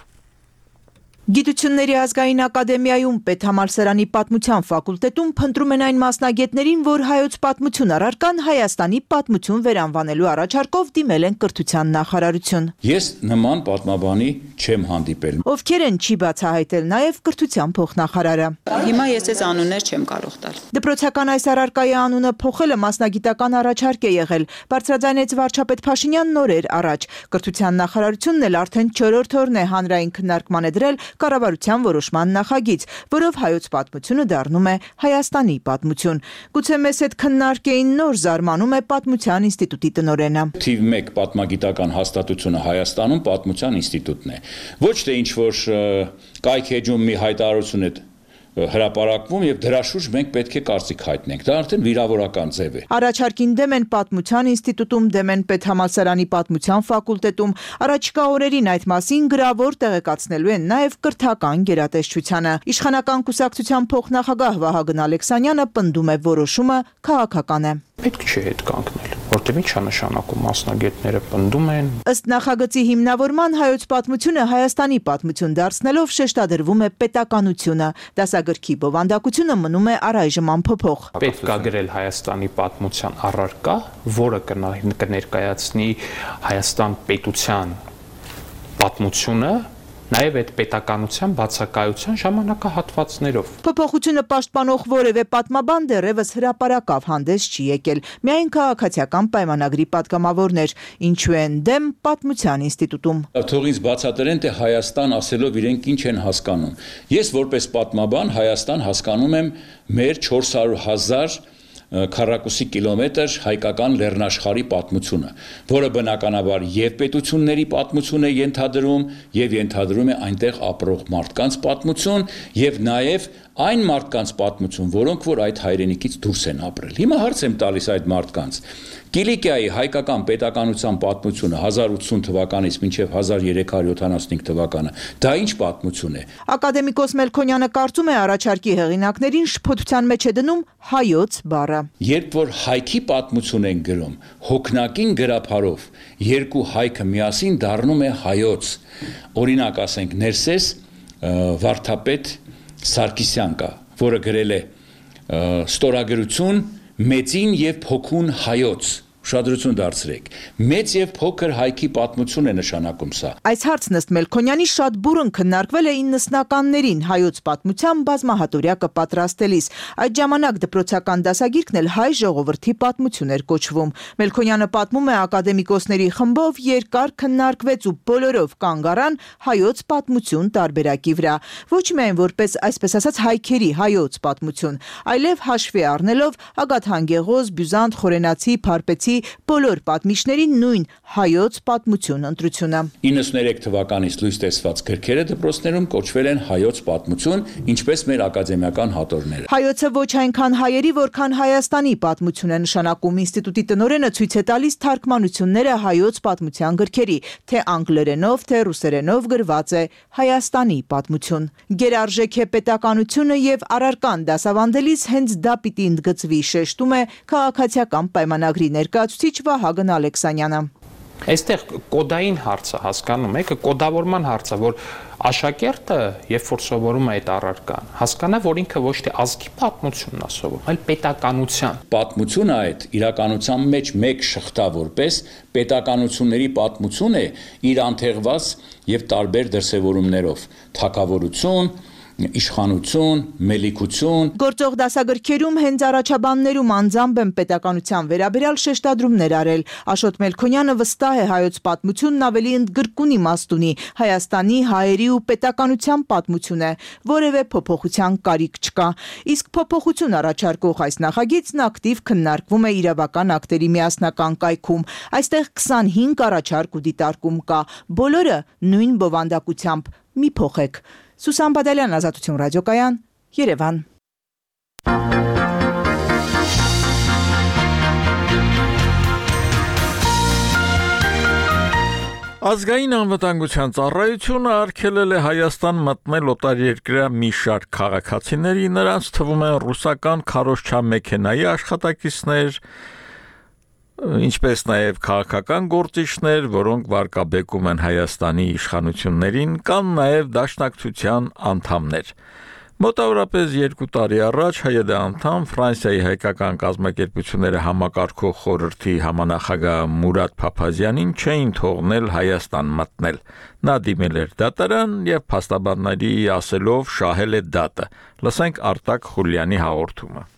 Գիտությունների ազգային ակադեմիայում պետհամալսարանի պատմության ֆակուլտետում փնտրում են այն մասնագետներին, որ հայոց պատմություն առարկան Հայաստանի պատմություն վերանվանելու առաջարկով դիմել են կրթության նախարարություն։ Ես նման պատմաբանի չեմ հանդիպել։ Ովքեր են չի բացահայտել նաև կրթության փոխնախարարը։ Հիմա ես այս անուններ չեմ կարող տալ։ Դպրոցական այս առարկայի անունը փոխելը մասնագիտական առաջարկ է եղել, բարձրաձայնեց վարչապետ Փաշինյան նորեր առաջ։ Կրթության նախարարությունն էլ արդեն չորրորդ օրն է հանրային քննարկման է դրել կառավարության որոշման նախագիծ, որով հայոց պատմությունը դառնում է Հայաստանի պատմություն։ Գուցե մեզ հետ քննարկեին նոր զարմանում է Պատմության ինստիտուտի տնօրենը։ Թիվ մեկ պատմագիտական հաստատությունը Հայաստանում Պատմության ինստիտուտն է։ Ոչ թե ինչ որ կայք էջում մի հայտարարություն է հրապարակվում եւ դրա շուրջ մենք պետք է կարծիք հայտնենք։ Դա արդեն վիրավորական ձև է։ Առաջարկին դեմ են Պատմության ինստիտուտում, դեմ են պետհամալսարանի պատմության ֆակուլտետում։ Առաջիկա օրերին այդ մասին գրավոր տեղեկացնելու են նաև կրթական գերատեսչությանը։ Իշխանական կուսակցության փոխնախագահ Վահագն Ալեքսանյանը պնդում է որոշումը քաղաքական է։ Պետք չէ հետ կանգնել, որտեղ ի՞նչ է նշանակում մասնագետները պնդում են։ Ըստ նախագծի հիմնավորման հայոց պատմությունը Հայաստանի պատմություն դարձնելով շեշտադրվում է պետականությունը։ Դասագրքի բովանդակությունը մնում է առայժմ անփոփոխ։ Պետք է գրել Հայաստանի պատմության առարկա, որը կներկայացնի Հայաստան պետության պատմությունը նաև այդ պետականության բացակայության ժամանակահատվածներով։ Փոփոխությունը պաշտպանող որևէ պատմաբան դեռևս հրապարակավ հանդես չի եկել, միայն քաղաքացիական պայմանագրի պատգամավորներ, ինչու են դեմ Պատմության ինստիտուտում։ Թող ինձ բացատրեն, թե Հայաստան ասելով իրենք ինչ են հասկանում։ Ես որպես պատմաբան Հայաստան հասկանում եմ մեր չորս հարյուր հազար քառակուսի կիլոմետր հայկական լեռնաշխարհի պատմությունը, որը բնականաբար եւ պետությունների պատմություն է ենթադրում եւ ենթադրում է այնտեղ ապրող մարդկանց պատմություն եւ նաեւ այն մարդկանց պատմություն, որոնք որ այդ հայրենիքից դուրս են ապրել։ Հիմա հարց եմ տալիս այդ մարդկանց. Կիլիկիայի հայկական պետականության պատմությունը հազար ութսուն թվականից մինչև հազար երեք հարյուր յոթանասունհինգ թվականը, դա ինչ պատմություն է։ Ակադեմիկոս Մելքոնյանը կարծում է առաջարկի հեղինակներին շփոթության մեջ է դնում հայոց բառը։ Երբ որ հայքի պատմություն են գրում, հոգնակին գրափարով երկու հայքը միասին դառնում է հայոց։ Օրինակ ասենք Ներսես Վարդապետ Սարգսյան կա, որը գրել է ստորագրություն մեծին եւ փոքուն հայոց, Ուշադրություն դարձրեք։ Մեծ եւ փոքր հայքի պատմություն է նշանակում սա։ Այս հարցն ըստ Մելքոնյանի շատ բուրըն քննարկվել է իննսնականներին հայոց պատմության բազմահատորյակը պատրաստելիս։ Այդ ժամանակ դպրոցական դասագիրքն էլ հայ ժողովրդի պատմություն էր կոչվում։ Մելքոնյանը պատմում է ակադեմիկոսների խմբով երկար քննարկվեց ու բոլորով կանգ առան հայոց պատմություն տարբերակի վրա։ Ոչ միայն որպես այսպես ասած հայքերի հայոց պատմություն, այլև հաշվի առնելով Ագաթան-Գեղոզ, Բյուզանտ, Խորենացի, Փարպեցի բոլոր պատմիչների նույն հայոց պատմություն ընտրությունը։ իննսուններեք թվականից լույս տեսված գրքերը դպրոցներում կոչվել են հայոց պատմություն, ինչպես մեր ակադեմիական հատորները։ Հայոցը ոչ այնքան հայերի, որքան Հայաստանի պատմություն է նշանակում։ Ինստիտուտի տնօրենը ցույց է տալիս թարգմանությունները հայոց պատմության գրքերի, թե անգլերենով, թե ռուսերենով գրված է Հայաստանի պատմություն։ Գերարժեք է պետականությունը եւ առարկան դասավանդելիս հենց դա պիտի ընդգծվի, շեշտում է քաղաքացիական պայմանագրի ներկայացուցիչ Վահագն Ալեքսանյանը։ Այստեղ կոդային հարցը հասկանում եք, կոդավորման հարցը, որ աշակերտը, երբ որ սովորում է այդ առարկան, հասկանա, որ ինքը ոչ թե ազգի պատմությունն է սովորում, այլ պետականության։ Պատմությունը այդ իրականության մեջ մեկ շղթա որպես պետականությունների պատմություն է իր անթեղված եւ տարբեր դրսեւորումներով՝ թագավորություն, իշխանություն, մելիքություն։ Գործող դասագրքերում հենց առաջաբաններում անձամբ են պետականության վերաբերյալ շեշտադրումներ արել։ Աշոտ Մելքոնյանը վստահ է հայոց պատմությունն ավելի ընդգրկուն իմաստ ունի, Հայաստանի, հայերի ու պետականության պատմություն է, որևէ փոփոխության կարիք չկա։ Իսկ փոփոխություն առաջարկող այս նախագիծն ակտիվ քննարկվում է իրավական ակտերի միասնական կայքում։ Այստեղ քսանհինգ առաջարկ ու դիտարկում կա, բոլորը նույն բովանդակությամբ՝ մի փոխեք։ Սուսան Բադալյան, Ազատություն ռադիոկայան, Երևան։ Ազգային անվտանգության ծառայությունը արգելել է Հայաստան մտնել օտարերկրյա մի շարք քաղաքացիների, նրանց թվում են ռուսական քարոզչամեքենայի աշխատակիցներ, ինչպես նաև քաղաքական գործիչներ, որոնք վարկաբեկում են Հայաստանի իշխանություններին, կամ նաև դաշնակցության անդամներ։ Մոտավորապես երկու տարի առաջ ՀՅԴ անդամ Ֆրանսիայի հայկական կազմակերպությունները համակարգող խորհրդի համանախագահ Մուրադ Փափազյանին չէին թողնել Հայաստան մտնել։ Նա դիմել էր դատարան եւ փաստաբանների ասելով շահել է դատը։ Լսենք Արտակ Խուլյանի հաղորդումը։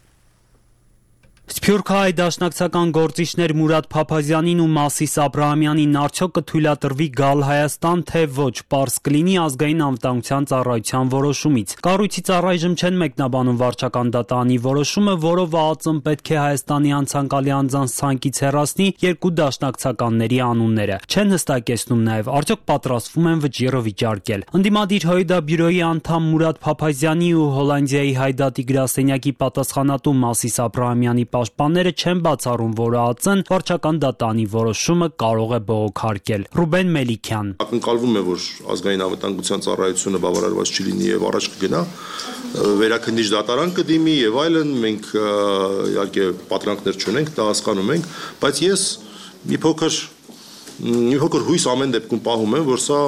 Սփյուռքահայ դաշնակցական գործիչներ Մուրադ Փափազյանին ու Մասիս Աբրահամյանին արդյոք կթույլատրվի գալ Հայաստան, թե ոչ, պարզ կլինի ազգային անվտանգության ծառայության որոշումից։ Կառույցից առայժմ չեն մեկնաբանում վարչական դատարանի որոշումը, որով ԱԱԾ-ն պետք է Հայաստանի անցանկալի անձանց ցանկից հեռացնի երկու դաշնակցականների անունները։ Չեն հստակեցնում նաև արդյոք պատրաստվում են վճիռը վիճարկել։ Ընդդիմադիր ՀՅԴ բյուրոյի անդամ Մուրադ Փափազյանի ու Հոլանդիայի Հայդատի գրասենյակի պատասխանատու Մասիս Աբրահամյանի պաշտպանները չեն բացառում, որ ԱԱԾ-ն վարչական դատարանի որոշումը կարող է բողոքարկել։ Ռուբեն Մելիքյան։ Ակնկալվում է, որ ազգային անվտանգության ծառայությունը բավարարված չլինի եւ առաջ կգնա, վերաքննիչ դատարան կդիմի եւ այլն, մենք իհարկե պատրանքներ չունենք, դա հասկանում ենք, բայց ես մի փոքր մի փոքր հույս ամեն դեպքում պահում եմ, որ սա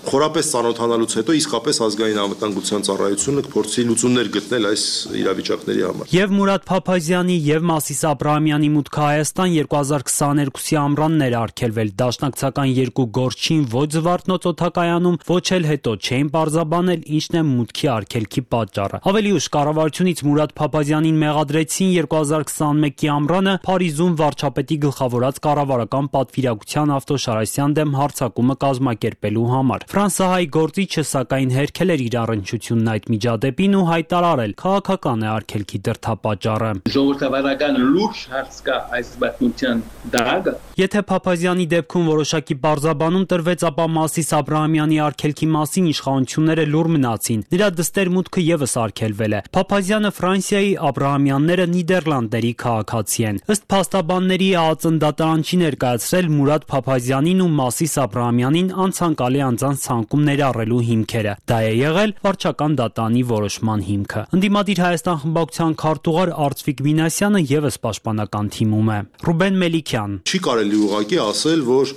խորապես ծանոթանալուց հետո իսկապես ազգային անվտանգության ծառայությունը կփորձի լուծումներ գտնել այս իրավիճակների համար։ Եվ Մուրադ Փափազյանի եւ Մասիս Աբրահամյանի մուտքը Հայաստան երկու հազար քսաներկուսի ամռանն էր արգելվել։ Դաշնակցական երկու գործչին ոչ Զվարթնոց օդակայանում, ոչ էլ հետո չէին պարզաբանել ինչն է մուտքի արգելքի պատճառը։ Ավելի ուշ կառավարությունից Մուրադ Փափազյանին մեղադրեցին երկու հազար քսանմեկի ամռանը Փարիզում վարչապետի գլխավորած կառավարական պատվիրակության Ավտոշարասյան դեմ հարձակումը կազմակերպելու համար։ Ֆրանսահայ գործիչը սակայն հերքել էր իր առնչությունն այդ միջադեպին ու հայտարարել քաղաքական է արգելքի դրդապատճառը։ Ժողովրդավարական լուրջ հարց կա այս պատմության դագը։ Եթե Փափազյանի դեպքում որոշակի պարզաբանում տրվեց, ապա Մասիս Աբրահամյանի արգելքի մասին իշխանությունները լուր մնացին։ Նրա դստեր մուտքը եւս արգելվել է։ Փափազյանը Ֆրանսիայի, Աբրահամյանները Նիդերլանդների քաղաքացի են։ Ըստ փաստաբանների ԱԱԾ-ն դատարան չի ներկայացրել Մուրադ Փափազյանին ու Մասիս Աբրահամյանին անցանկալի անձանց ցանկում ներառելու հիմքերը։ Դա է եղել վարչական դատարանի որոշման հիմքը։ Ընդդիմադիր Հայաստան խմբակցության քարտուղար Արծվիկ Մինասյանը եւս պաշտպանական թիմում է։ Ռուբեն Մելիքյան։ Չի կարելի ուղղակի ասել, որ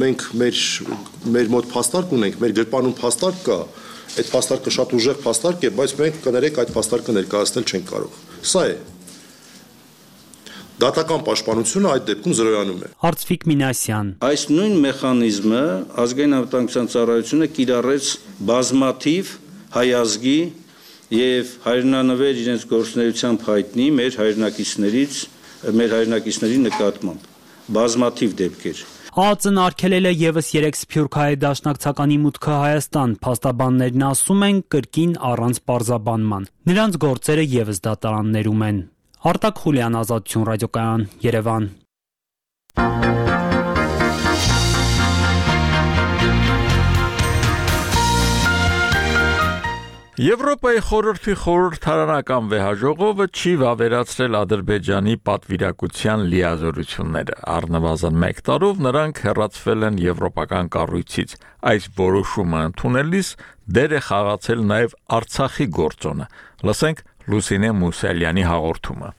մենք մեր մեր մոտ փաստարկ ունենք, մեր գրպանում փաստարկ կա, այդ փաստարկը շատ ուժեղ փաստարկ է, բայց մենք կներեք այդ փաստարկը ներկայացնել չենք կարող։ Սա է։ դատական պաշտպանությունը այդ դեպքում զրոյանում է։ Արծվիկ Մինասյան. Այս նույն մեխանիզմը ազգային անվտանգության ծառայությունը կիրառեց բազմաթիվ հայազգի եւ հայրենանվեր իրենց գործունեությամբ հայտնի մեր հայրենակիցներից մեր հայրենակիցների նկատմամբ բազմաթիվ դեպքեր։ ԱԱԾ-ն արգելել է եւս երեք սփյուռքահայ դաշնակցականի մուտքը Հայաստան, փաստաբաններն ասում են կրկին առանց պարզաբանման։ Նրանց գործերը եւս դատարաններում են։ Արտակ Խուլյան, Ազատություն ռադիոկայան, Երևան։ Եվրոպայի խորհրդի խորհրդարանական վեհաժողովը չի վավերացրել Ադրբեջանի պատվիրակության լիազորությունները։ Առնվազն մեկ տարով նրանք հեռացվել են եվրոպական կառույցից։ Այս որոշումը ընդունելիս դեր է խաղացել նաև Արցախի գործոնը։ Լսենք Լուսինե Մուսալյանի հաղորդումը։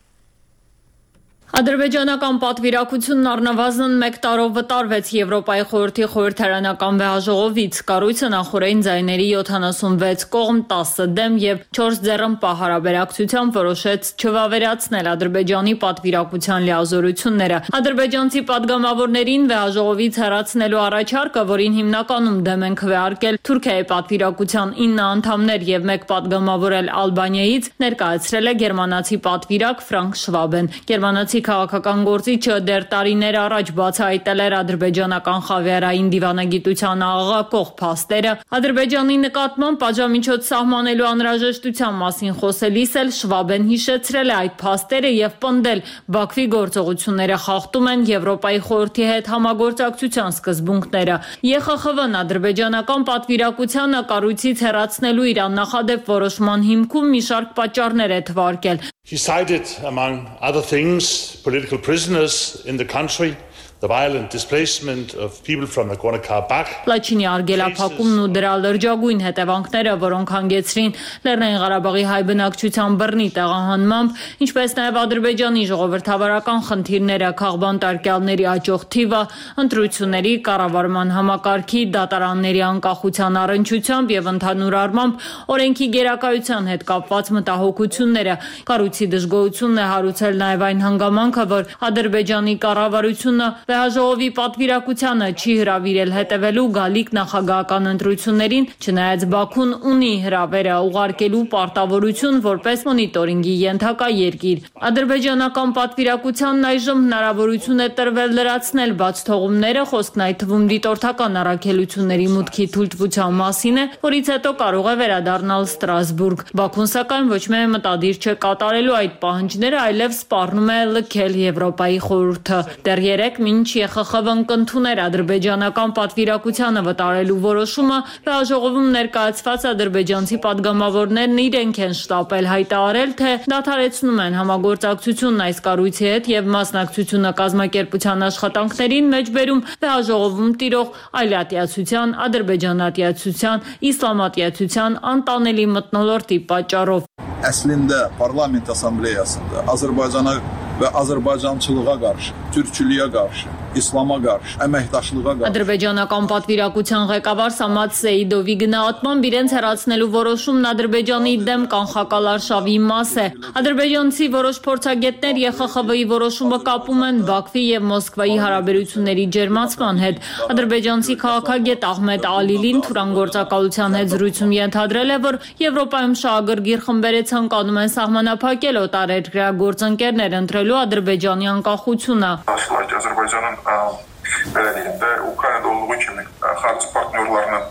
Ադրբեջանական պատվիրակությունն առնվազն մեկ տարով վտարվեց Եվրոպայի խորհրդի խորհրդարանական վեհաժողովից։ Կառույցը նախորդին ձայների յոթանասունվեց կողմ, տասը դեմ եւ չորս ձեռնպահ հարաբերակցությամբ որոշեց չվավերացնել Ադրբեջանի պատվիրակության լիազորությունները։ Ադրբեջանցի падգամավորներին վեհաժողովից հեռացնելու առաջարկը, որին հիմնականում դեմ են քվեարկել Թուրքիայի պատվիրակության ինը անդամներ եւ մեկ падգամավոր էլ Ալբանիայից, ներկայացրել է գերմանացի պատվիրակ Ֆրանկ Շվաբեն։ Գերմանացի քաղաքական գործիչը դեռ տարիներ առաջ բացահայտել էր ադրբեջանական խավիարային դիվանագիտության աղաղակող փաստերը։ Ադրբեջանի նկատմամբ պատժամիջոց սահմանելու անհրաժեշտության մասին խոսելիս էլ Շվաբեն հիշեցրել է այդ փաստերը եւ պնդել Բաքվի գործողությունները խախտում են Եվրոպայի խորհրդի հետ համագործակցության սկզբունքները։ ԵԽԽՎ-ն ադրբեջանական պատվիրակությանը կառույցից հեռացնելու իր աննախադեպ որոշման հիմքում մի շարք պատճառներ է թվարկել։ He cited, among other things, political prisoners in the country, the violent displacement of people from Nagorno-Karabakh. Լաչինի արգելափակումն ու դրա լրջագույն հետևանքները, որոնք հանգեցրին Լեռնային Ղարաբաղի հայ բնակչության բռնի տեղահանմամբ, ինչպես նաև Ադրբեջանի ժողովրդավարական խնդիրները, քաղբան տարկյալների աճող թիվը, ընտրությունների, կառավարման համակարգի, դատարանների անկախության առնչությամբ եւ ընդհանուր առմամբ օրենքի գերակայության հետ կապված մտահոգությունները։ Կառույցի դժգոհությունն է հարուցել նաև այն հանգամանքը, որ Ադրբեջանի կառավարությունը Վեհաժողովի պատվիրակությանը չի հրավիրել հետևելու գալիք նախագահական ընտրություններին, չնայած Բաքուն ունի հրավերը ուղարկելու պարտավորություն որպես մոնիտորինգի ենթակա երկիր։ Ադրբեջանական պատվիրակությանն այժմ հնարավորություն է տրվել լրացնել բաց թողումները, խոսքն այդ թվում դիտորդական առաքելությունների մուտքի թույլտվության մասին է, որից հետո կարող է վերադառնալ Ստրասբուրգ։ Բաքուն սակայն ոչ միայն մտադիր չէ կատարելու այդ պահանջները, այլև սպառնում է լքել Եվրոպայի խորհուրդը։ Դեռ երեք մինչ ԵԽԽՎ-ն կընդուներ ադրբեջանական պատվիրակությանը վտարելու որոշումը, վեհաժողովում ներկայացված ադրբեջանցի падգամավորներն իրենք են շտապել հայտարարել, թե դադարեցնում են համագործակցությունն այս կառույցի հետ եւ մասնակցությունը կազմակերպության աշխատանքներին մեջբերում վեհաժողովում տիրող այլատիացության, ադրբեջանատիացության, իսլամատիացության անտանելի մթնոլորտի պատճառով։ Əslində parlament assambleyasında Azərbaycana və Azərbaycançılığa qarşı, türkçülüyə qarşı, İslama qarşı, əməkdaşlığa qarşı Ադրբեջանական պատվիրակության ղեկավար Սամատ Սեիդովի գնահատմամբ իրենց հեռացնելու որոշումն Ադրբեջանի դեմ կանխակալ արշավի մաս է։ Ադրբեջանցի որոշ փորձագետներ ԵԽԽՎ-ի որոշումը կապում են Բաքվի եւ Մոսկվայի հարաբերությունների ջերմացման հետ։ Ադրբեջանցի քաղաքագետ Ահմեդ Ալիլին թուրանգործակալության հետ զրույցում ենթադրել է, որ Եվրոպայում շահագրգիռ խմբերը ցանկանում են սահմանափակել օտարերկրյա գործընկերներ ընտրելու Ադրբեջանի անկախությունը։ Belediyinde Ukrayna'da olduğu kimi xarici partnyorlarının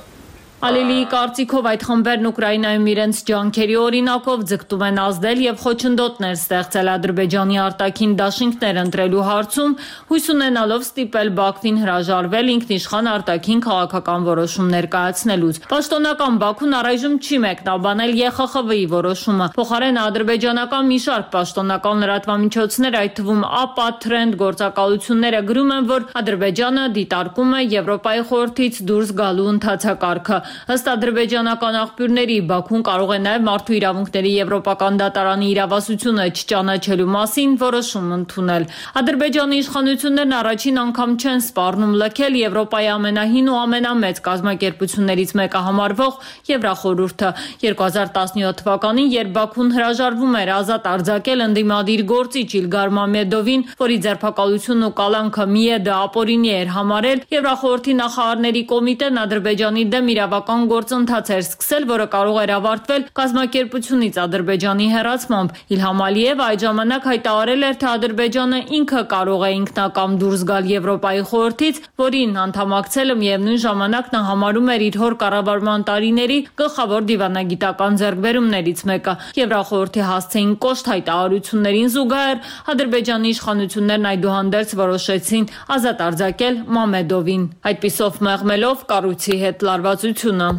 Ալիլիի կարծիքով այդ խմբերն Ուկրաինայում իրենց ջանքերի օրինակով ձգտում են ազդել եւ խոչընդոտներ ստեղծել Ադրբեջանի արտաքին դաշինքներ ընտրելու հարցում, հույս ունենալով ստիպել Բաքվին հրաժարվել ինքնիշխան արտաքին քաղաքական որոշում ներկայացնելուց։ Պաշտոնական Բաքուն առայժմ չի մեկնաբանել ԵԽԽՎ-ի որոշումը։ Փոխարենը ադրբեջանական մի շարք պաշտոնական լրատվամիջոցներ, այդ թվում ԱՊԱ Trend գործակալությունները գրում են, որ Ադրբեջանը դիտարկում է Եվրոպայի խորհրդից դուրս գալու ընթացակարգը։ Ըստ ադրբեջանական աղբյուրների, Բաքուն կարող է նաև մարդու իրավունքների եվրոպական դատարանի իրավասությունը չճանաչելու մասին որոշում ընդունել։ Ադրբեջանի իշխանություններն առաջին անգամ չեն սպառնում լքել Եվրոպայի ամենահին ու ամենամեծ կազմակերպություններից մեկը համարվող Եվրախորհուրդը։ երկու հազար տասնյոթ թվականին, երբ Բաքուն հրաժարվում էր ազատ արձակել ընդդիմադիր գործիչ Իլգար Մամեդովին, որի ձերբակալությունն ու կալանքը միեդը ապօրինի էր համարել, Եվրախորհրդի նախարարների կոմիտեն Ադրբեջանի դեմ իրավական գործընթաց էր սկսել, որը կարող էր ավարտվել կազմակերպությունից Ադրբեջանի հեռացմամբ։ Իլհամ Ալիևը այդ ժամանակ հայտարարել էր, թե Ադրբեջանը ինքը կարող է ինքնակամ դուրս գալ Եվրոպայի խորհրդից, որին անդամակցելը միևնույն ժամանակ նա համարում էր իր հոր կառավարման տարիների գլխավոր դիվանագիտական ձեռքբերումներից մեկը։ Եվրախորհրդի հասցեին կոշտ հայտարարություններին զուգահեռ Ադրբեջանի իշխանություններն այդուհանդերձ որոշեցին ազատ արձակել Մամեդովին, այդպիսով մեղմելով կառույցի հետ լարվածությունը։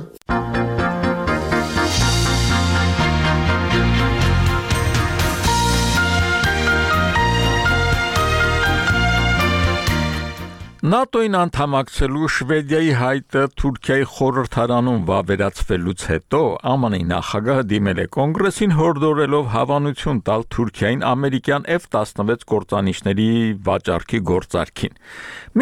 ՆԱՏՕ-ին անդամակցելու Շվեդիայի հայտը Թուրքիայի խորհրդարանում վավերացվելուց հետո ԱՄՆ-ի նախագահը դիմել է կոնգրեսին հորդորելով հավանություն տալ Թուրքիային ամերիկյան F տասնվեց կործանիչների վաճառքի գործարքին։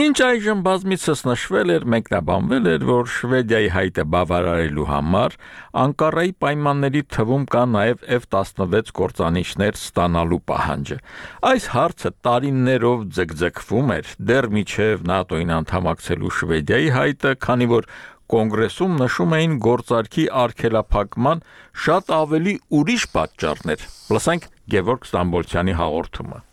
Մինչ այժմ բազմիցս նշվել էր, մեկնաբանվել էր, որ Շվեդիայի հայտը բավարարելու համար Անկարայի պայմանների թվում կա նաև F տասնվեց կործանիչներ ստանալու պահանջը։ Այս հարցը տարիներով ձգձգվում էր, դեռ մինչև ՆԱՏՕ-ին անդամակցելու Շվեդիայի հայտը, քանի որ կոնգրեսում նշում էին գործարքի արգելափակման շատ ավելի ուրիշ պատճառներ։ Լսենք Գևորգ Ստամբոլցյանի հաղորդումը։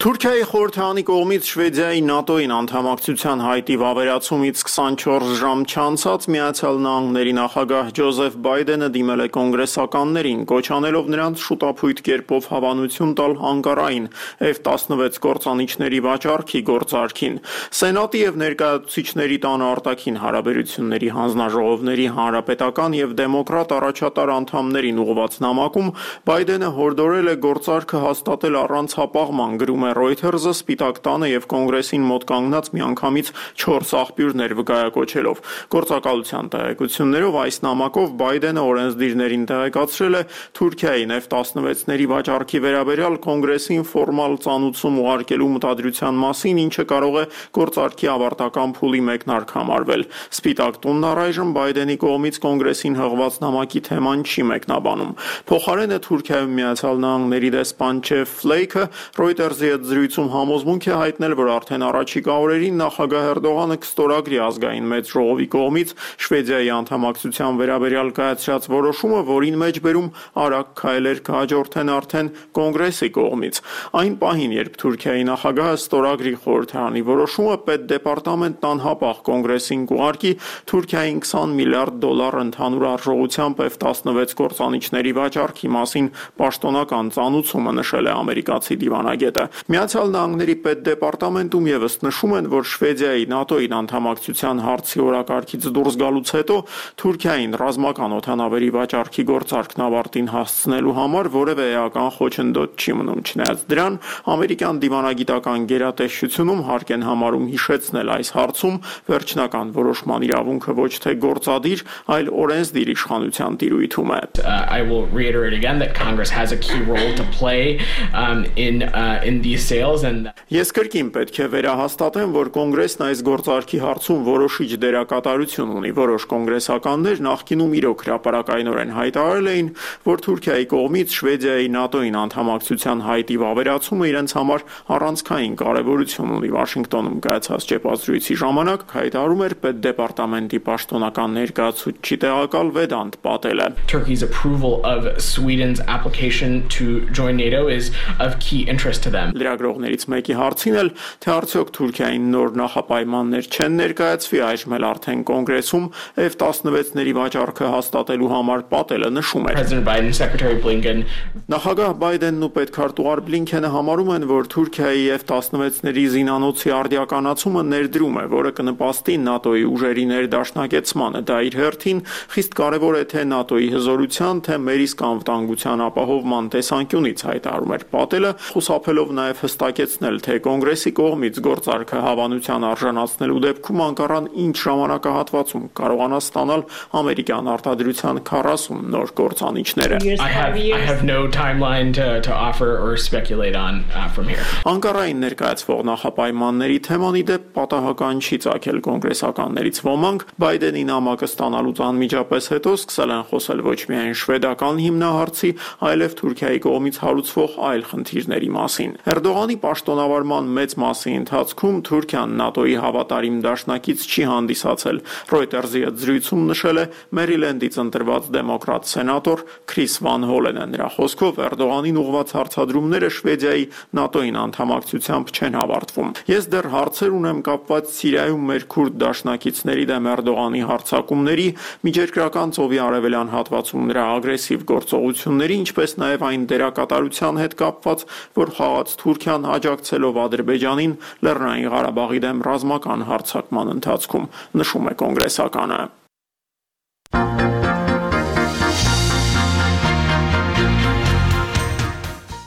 Թուրքիայի խորհրդարանի կողմից Շվեդիայի ՆԱՏՕ-ին անդամակցության հայտի վավերացումից քսանչորս ժամ չանցած Միացյալ Նահանգների նախագահ Ջոզեֆ Բայդենը դիմել է կոնգրեսականներին, կոչ անելով նրանց շուտափույթ կերպով հավանություն տալ Անկարային F տասնվեց կործանիչների վաճառքի գործարքին։ Սենատի եւ ներկայացուցիչների տան արտաքին հարաբերությունների հանձնաժողովների հանրապետական եւ դեմոկրատ առաջատար անդամներին ուղղված նամակում Բայդենը հորդորել է գործարքը հաստատել առանց հապաղման, գրում է Reuters-ը Սպիտակ տանը եւ կոնգրեսին մոտ կանգնած միանգամից չորս աղբյուրներ վկայակոչելով։ Գործակալության տեղեկություններով այս նամակով Բայդենը օրենսդիրներին տեղեկացրել է Թուրքիային F տասնվեցների վաճառքի վերաբերյալ կոնգրեսին ֆորմալ ծանուցում ուղարկելու մտադրության մասին, ինչը կարող է գործարքի ավարտական փուլի մեկնարկ համարվել։ Սպիտակ տունն առայժմ Բայդենի կողմից կոնգրեսին հղված նամակի թեման չի մեկնաբանում։ Փոխարենը Թուրքիայում Միացյալ Նահանգների դեսպան Ջեֆ Ֆլեյքը Reuters-ի հետ զրույցում համոզմունք է հայտնել, որ արդեն առաջիկա օրերին նախագահ Էրդողանը կստորագրի ազգային մեծ ժողովի կողմից Շվեդիայի անդամակցության վերաբերյալ կայացրած որոշումը, որին մեջբերում արագ քայլեր կհաջորդեն արդեն կոնգրեսի կողմից։ Այն պահին, երբ Թուրքիայի նախագահը ստորագրի խորհրդարանի որոշումը, պետդեպարտամենտն անհապաղ կոնգրեսին կուղարկի Թուրքիային քսան միլիարդ դոլար ընդհանուր արժողությամբ F տասնվեց կործանիչների վաճառքի մասին պաշտոնական ծանուցումը, նշել է ամերիկացի դիվանագետը։ Միացյալ Նահանգների պետդեպարտամենտում եւս նշում են, որ Շվեդիայի ՆԱՏՕ-ին անդամակցության հարցի օրակարգից դուրս գալուց հետո Թուրքիային ռազմական օդանավերի վաճառքի գործարքն ավարտին հասցնելու համար որևէ էական խոչընդոտ չի մնում։ Չնայած դրան, ամերիկյան դիվանագիտական գերատեսչությունում հարկ են համարում հիշեցնել այս հարցում վերջնական որոշման իրավունքը ոչ թե գործադիր, այլ օրենսդիր իշխանության տիրույթում է։ I will reiterate again that Congress has a key role to play um, in uh, in these sales and Ես կրկին պետք է վերահաստատեմ, որ կոնգրեսն այս գործարքի հարցում որոշիչ դերակատարություն ունի։ Որոշ կոնգրեսականներ նախկինում իրոք հրապարակայնորեն հայտարարել էին, որ Թուրքիայի կողմից Շվեդիայի ՆԱՏՕ-ին անդամակցության հայտի վավերացումը իրենց համար առանցքային կարևորություն ունի։ Վաշինգտոնում կայացած ճեպազրույցի ժամանակ հայտարարում էր պետդեպարտամենտի պաշտոնական ներկայացուցիչ տեղակալ Վեդանտ Պատելը։ Turkey's approval of Sweden's application to join NATO is of key interest to them. Լրագրողներից մեկի հարցին էլ, թե արդյոք Թուրքիային նոր նախապայմաններ չեն ներկայացվի, այժմ էլ արդեն կոնգրեսում F տասնվեցների վաճառքը հաստատելու համար Պատելը նշում էր։ President Biden, Secretary Blinken Նախագահ Բայդենն ու պետքարտուղար Բլինքենը համարում են, որ Թուրքիայի F տասնվեցների զինանոցի արդիականացումը ներդրում է, որը կնպաստի ՆԱՏՕ-ի ուժերի ներդաշնակեցմանը։ Դա իր հերթին խիստ կարևոր է թե ՆԱՏՕ-ի հզորության, թե մեր իսկ անվտանգության ապահովման տեսանկյունից, հայտարարում էր Պատելը, խուսափելով նաև նաև հստակեցնել, թե կոնգրեսի կողմից գործարքը հավանության արժանացնելու դեպքում Անկարան ինչ ժամանակահատվածում կարողանա ստանալ ամերիկյան արտադրության քառասուն նոր կործանիչները։ I have I have no timeline to to offer or speculate on uh, from here. Անկարային ներկայացվող նախապայմանների թեման ի դեպ պատահական չի ծագել կոնգրեսականներից ոմանք Բայդենի նամակը ստանալուց անմիջապես հետո սկսել են խոսել ոչ միայն շվեդական հիմնահարցի, այլև Թուրքիայի կողմից հարուցվող այլ խնդիրների մասին։ Էրդողանի պաշտոնավարման մեծ մասի ընթացքում Թուրքիան ՆԱՏՕ-ի հավատարիմ դաշնակից չի հանդիսացել։ Reuters-ի հետ զրույցում նշել է Մերիլենդից ընտրված դեմոկրատ սենատոր Քրիս Վան Հոլենը։ Նրա խոսքով Էրդողանին ուղղված հարցադրումները Շվեդիայի ՆԱՏՕ-ին անդամակցությամբ չեն հավարտվում։ Ես դեռ հարցեր ունեմ կապված Սիրիայում մեր քուրդ դաշնակիցների դեմ Էրդողանի հարձակումների, միջերկրական ծովի արևելյան հատվածում նրա ագրեսիվ գործողությունների, ինչպես նաև այն դերակատարության հետ կապված, որ խաղաց Թուրքիան աջակցելով Ադրբեջանին Լեռնային Ղարաբաղի դեմ ռազմական հարձակման ընթացքում, նշում է կոնգրեսականը։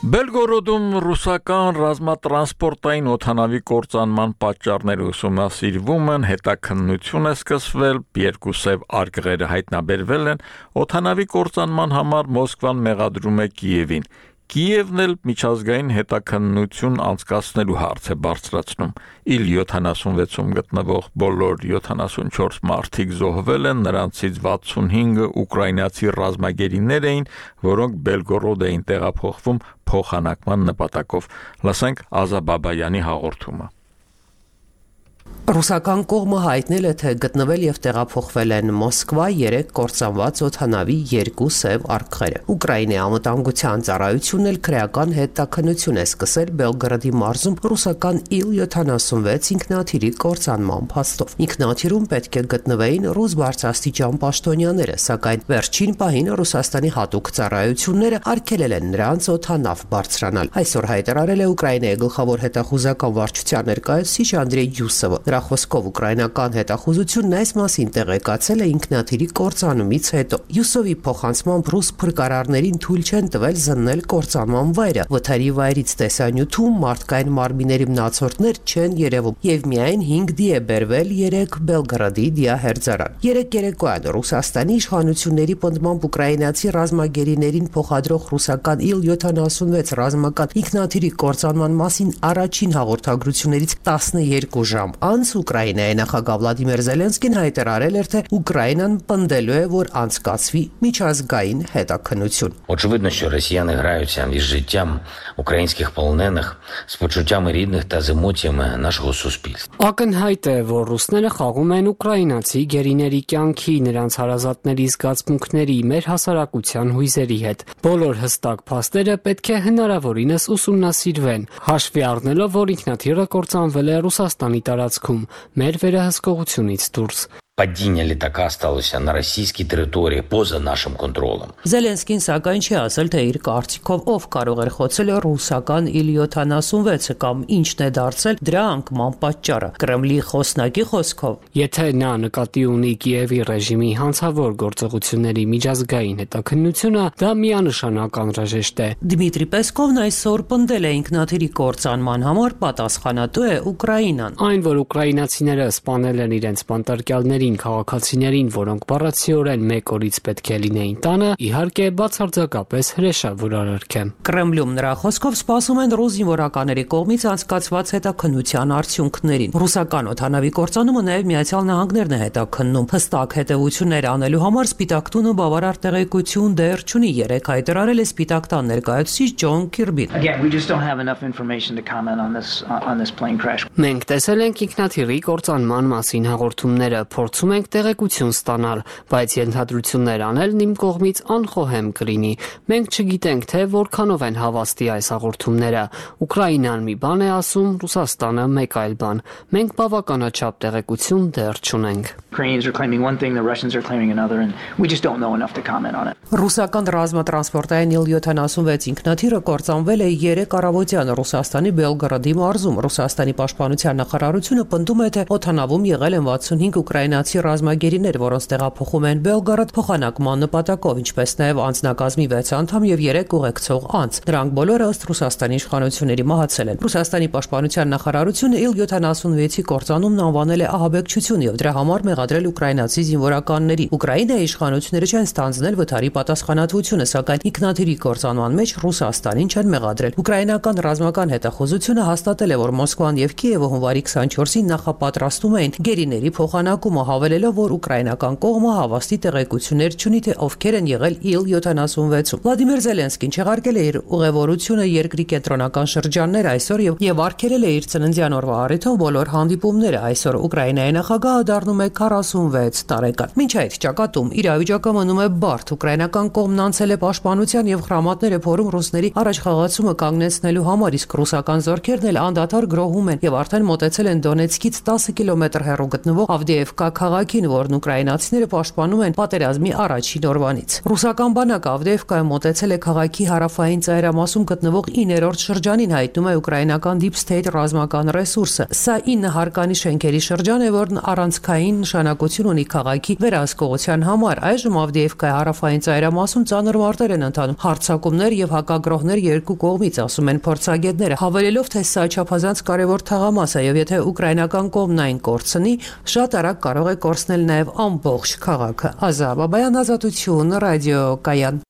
Բելգորոդում ռուսական ռազմատրանսպորտային օդանավի կործանման պատճառները ուսումնասիրվում են, հետաքննություն է սկսվել, երկու սև արգղերը հայտնաբերվել են, օդանավի կործանման համար Մոսկվան մեղադրում է Կիևին։ Կիևն էլ միջազգային հետաքննություն անցկացնելու հարց է բարձրացնում։ Իլ յոթանասունվեցում գտնվող բոլոր յոթանասունչորս մարդիկ զոհվել են, նրանցից վաթսունհինգը ուկրաինացի ռազմագերիներ էին, որոնք Բելգորոդ էին տեղափոխվում փոխանակման նպատակով։ Լսենք Ազա Բաբայանի հաղորդումը։ Ռուսական կողմը հայտնել է, թե գտնվել եւ տեղափոխվել են Մոսկվա երեք կործանված օդանավի երկու սև արգղերը։ Ուկրաինայի անվտանգության ծառայությունն էլ քրեական հետաքննություն է սկսել Բելգրադի մարզում ռուսական իլ յոթանասունվեց ինքնաթիռի կործանման փաստով։ Ինքնաթիռում պետք է գտնվեին ռուս բարձրաստիճան պաշտոնյաները, սակայն վերջին պահին Ռուսաստանի հատուկ ծառայությունները արգելել են նրանց օդանավ բարձրանալ։ Այսօր հայտարարել է Ուկրաինայի գլխավոր հետախուզական վարչության ներկայացուցիչ Անդրեյ Յուսովը։ Նրա խոսքով ուկրաինական հետախուզությունն այս մասին տեղեկացել է ինքնաթիռի կործանումից հետո։ Յուսովի փոխանցմամբ ռուս փրկարարներին թույլ չեն տվել զննել կործանման վայրը։ Վթարի վայրից տեսանյութում մարդկային մարմինների մնացորդներ չեն երևում եւ միայն հինգ դի է բերվել երեք Բելգրադի դիահերձարան։ Երեք երեկոյան Ռուսաստանի իշխանությունների պնդմամբ ուկրաինացի ռազմագերիներին փոխադրող ռուսական իլ յոթանասունվեց ռազմական ինքնաթիռի կործանման մասին առաջին հաղորդագրություններից տասնյոթ ժամ անց Ուկրաինայի նախագահ Վլադիմիր Զելենսկին հայտարարել էր, թե Ուկրաինան պնդելու է, որ անցկացվի միջազգային հետաքննություն։ Очевидно, що росіяни граються із життям українських полонених, з почуттями рідних та з емоціями нашого суспільства. Ակնհայտ է, որ ռուսները խաղում են ուկրաինացի գերիների կյանքի, նրանց հարազատների զգացմունքների, մեր հասարակության հույզերի հետ։ Բոլոր հստակ փաստերը պետք է հնարավորինս ուսումնասիրվեն, հաշվի առնելով, որ ինքնաթիռը կործանվել է Ռուսաստանի տարածքում, մեր վերահսկողությունից դուրս։ Падіння літака сталося на російській території поза нашим контролем. Զելենսկին սակայն չի ասել, թե իր կարծիքով ով կարող էր խոցել ռուսական իլ յոթանասունվեցը կամ ինչն է դարձել դրա անկման պատճառը։ Կրեմլի խոսնակի խոսքով, եթե նա նկատի ունի Կիևի ռեժիմի հանցավոր գործողությունների միջազգային հետաքննությունը, դա միանշանակ անհրաժեշտ է։ Դմիտրի Պեսկովն այսօր պնդել է ինքնաթիռի կործանման համար պատասխանատու է Ուկրաինան։ Այն, որ ուկրաինացիները սպանել են իրենց բանտարկյալների քաղաքացիներին, որոնք բառացիորեն մեկ օրից պետք է լինեին տանը, իհարկե բացարձակապես հրեշավոր արարք է։ Կրեմլում նրա խոսքով սպասում են ռուս զինվորականների կողմից անցկացված հետաքննության արդյունքներին։ Ռուսական օդանավի կործանումը նաև Միացյալ Նահանգներն է հետաքննում։ Հստակ հետևություններ անելու համար Սպիտակ տունը բավարար տեղեկություն դեռ չունի, երեք հայտարարել է Սպիտակ տան ներկայացուցիչ Ջոն Քիրբին։ Մենք տեսել ենք ինքնաթիռի կործանման մասին հաղորդումները, փորձում ենք տեղեկություն ստանալ, բայց ենթադրություններ անելն իմ կողմից անխոհեմ կլինի։ Մենք չգիտենք, թե որքանով են հավաստի այս հաղորդումները։ Ուկրաինան մի բան է ասում, Ռուսաստանը մեկ այլ բան։ Մենք բավականաչափ տեղեկություն դեռ չունենք։ Ռուսական ռազմատրանսպորտային իլ յոթանասունվեց ինքնաթիռը կործանվել է երեք առավոտյան Ռուսաստանի Բելգրադի մարզում։ Ռուսաստանի պաշտպանության նախարարությունը պնդում է, թե օդանավում եղել են վաթսունհինգ ուկրաինացի ուկրաինացի ռազմագերիներ, որոնց տեղափոխում են Բելգարադ փոխանակման նպատակով, ինչպես նաև անձնակազմի վեց անդամ եւ երեք ուղեկցող անձ։ Դրանք բոլորը ըստ Ռուսաստանի իշխանությունների մահացել են։ Ռուսաստանի պաշտպանության նախարարությունը իլ յոթանասունվեցի կործանումն անվանել է ահաբեկչություն եւ դրա համար մեղադրել ուկրաինացի զինվորականների։ Ուկրաինայի իշխանությունները չեն ստանձնել վթարի պատասխանատվությունը, սակայն ինքնաթիռի կործանման մեջ Ռուսաստանին չեն մեղադրել։ Ուկրաինական ռազմական հետախուզությունը հաստատել է, որ Մոսկվան եւ Կիևը հունվարի քսաներկուսին նախապատրաստում էին գերիների փոխանակումը, հավելելով, որ ուկրաինական կողմը հավաստի տեղեկություններ չունի, թե ովքեր են եղել իլ յոթանասունվեցում։ Վլադիմիր Զելենսկին չեղարկել է իր ուղևորությունը երկրի կենտրոնական շրջաններ այսօր եւ եւ արգելել է իր ծննդյան օրվա առիթով բոլոր հանդիպումները։ Այսօր Ուկրաինայի նախագահը դառնում է քառասունվեց տարեկան։ Մինչ այդ ճակատում իրավիճակը մնում է բարդ։ Ուկրաինական կողմն անցել է պաշտպանության եւ խրամատները փորում ռուսների առաջխաղացումը կանգնեցնելու համար, իսկ ռուսական զորքերն էլ անդադար գրոհում են եւ արդեն մոտեցել են Դոնեցկից տասը կիլոմետր հեռու գտնվող Ավդեևկա քաղաքին, որն ուկրաինացիները պաշտպանում են պատերազմի առաջին օրվանից։ Ռուսական բանակը Ավդեևկայում մոտեցել է քաղաքի հարավային ծայրամասում գտնվող իններորդ շրջանին, հայտնում է ուկրաինական Deep State ռազմական ռեսուրսը։ Սա ինը հարկանի շենքերի շրջան է, որն առանցքային նշանակություն ունի քաղաքի վերահսկողության համար։ Այժմ Ավդեևկայի հարավային ծայրամասում ծանր մարտեր են ընթանում, հարձակումներ եւ հակագրոհներ երկու կողմից, ասում են փորձագետները, հավելելով, թե սա չափազանց կարևոր թաղամաս է եւ եթե ուկրաինական կողմն այն կորցնի, շատ արագ կարող է կորցնել նաեւ ամբողջ քաղաքը։ Ազա Բաբայան, Ազատություն, ռադիոկայան։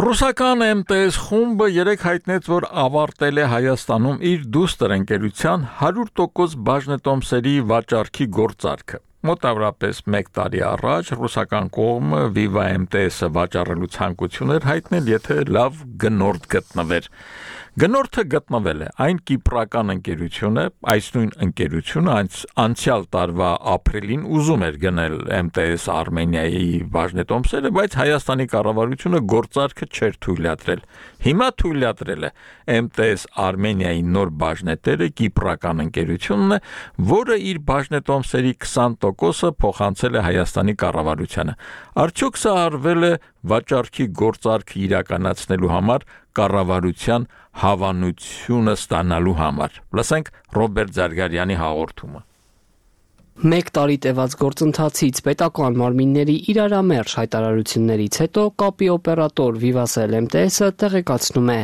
Ռուսական էմ տե էս խումբը երեկ հայտնեց, որ ավարտել է Հայաստանում իր դուստր ընկերության հարյուր տոկոս բաժնետոմսերի վաճառքի գործարքը։ Մոտավորապես մեկ տարի առաջ ռուսական կողմը Viva էմ տե էս-ը վաճառելու ցանկություն էր հայտնել, եթե լավ գնորդ գտնվեր։ Գնորդը գտնվել է, այն կիպրական ընկերությունը, այս նույն ընկերությունը անցյալ տարվա ապրիլին ուզում էր գնել էմ տե էս Արմենիայի բաժնետոմսերը, բայց Հայաստանի կառավարությունը գործարքը չէր թույլատրել։ Հիմա թույլատրել է էմ տե էս Արմենիայի նոր բաժնետերը կիպրական ընկերությունն է, որը իր բաժնետոմսերի քսան տոկոսը փոխանցել է Հայաստանի կառավարությանը։ Արդյոք սա արվել է վաճառքի գործարքը իրականացնելու համար կառավարության հավանությունը ստանալու համար։ Լսենք Ռոբերտ Զարգարյանի հաղորդումը։ Մեկ տարի տևած գործընթացից պետական մարմինների իրարամերժ հայտարարություններից հետո կապի օպերատոր Vivasel էմ տե էս-ը տեղեկացնում է,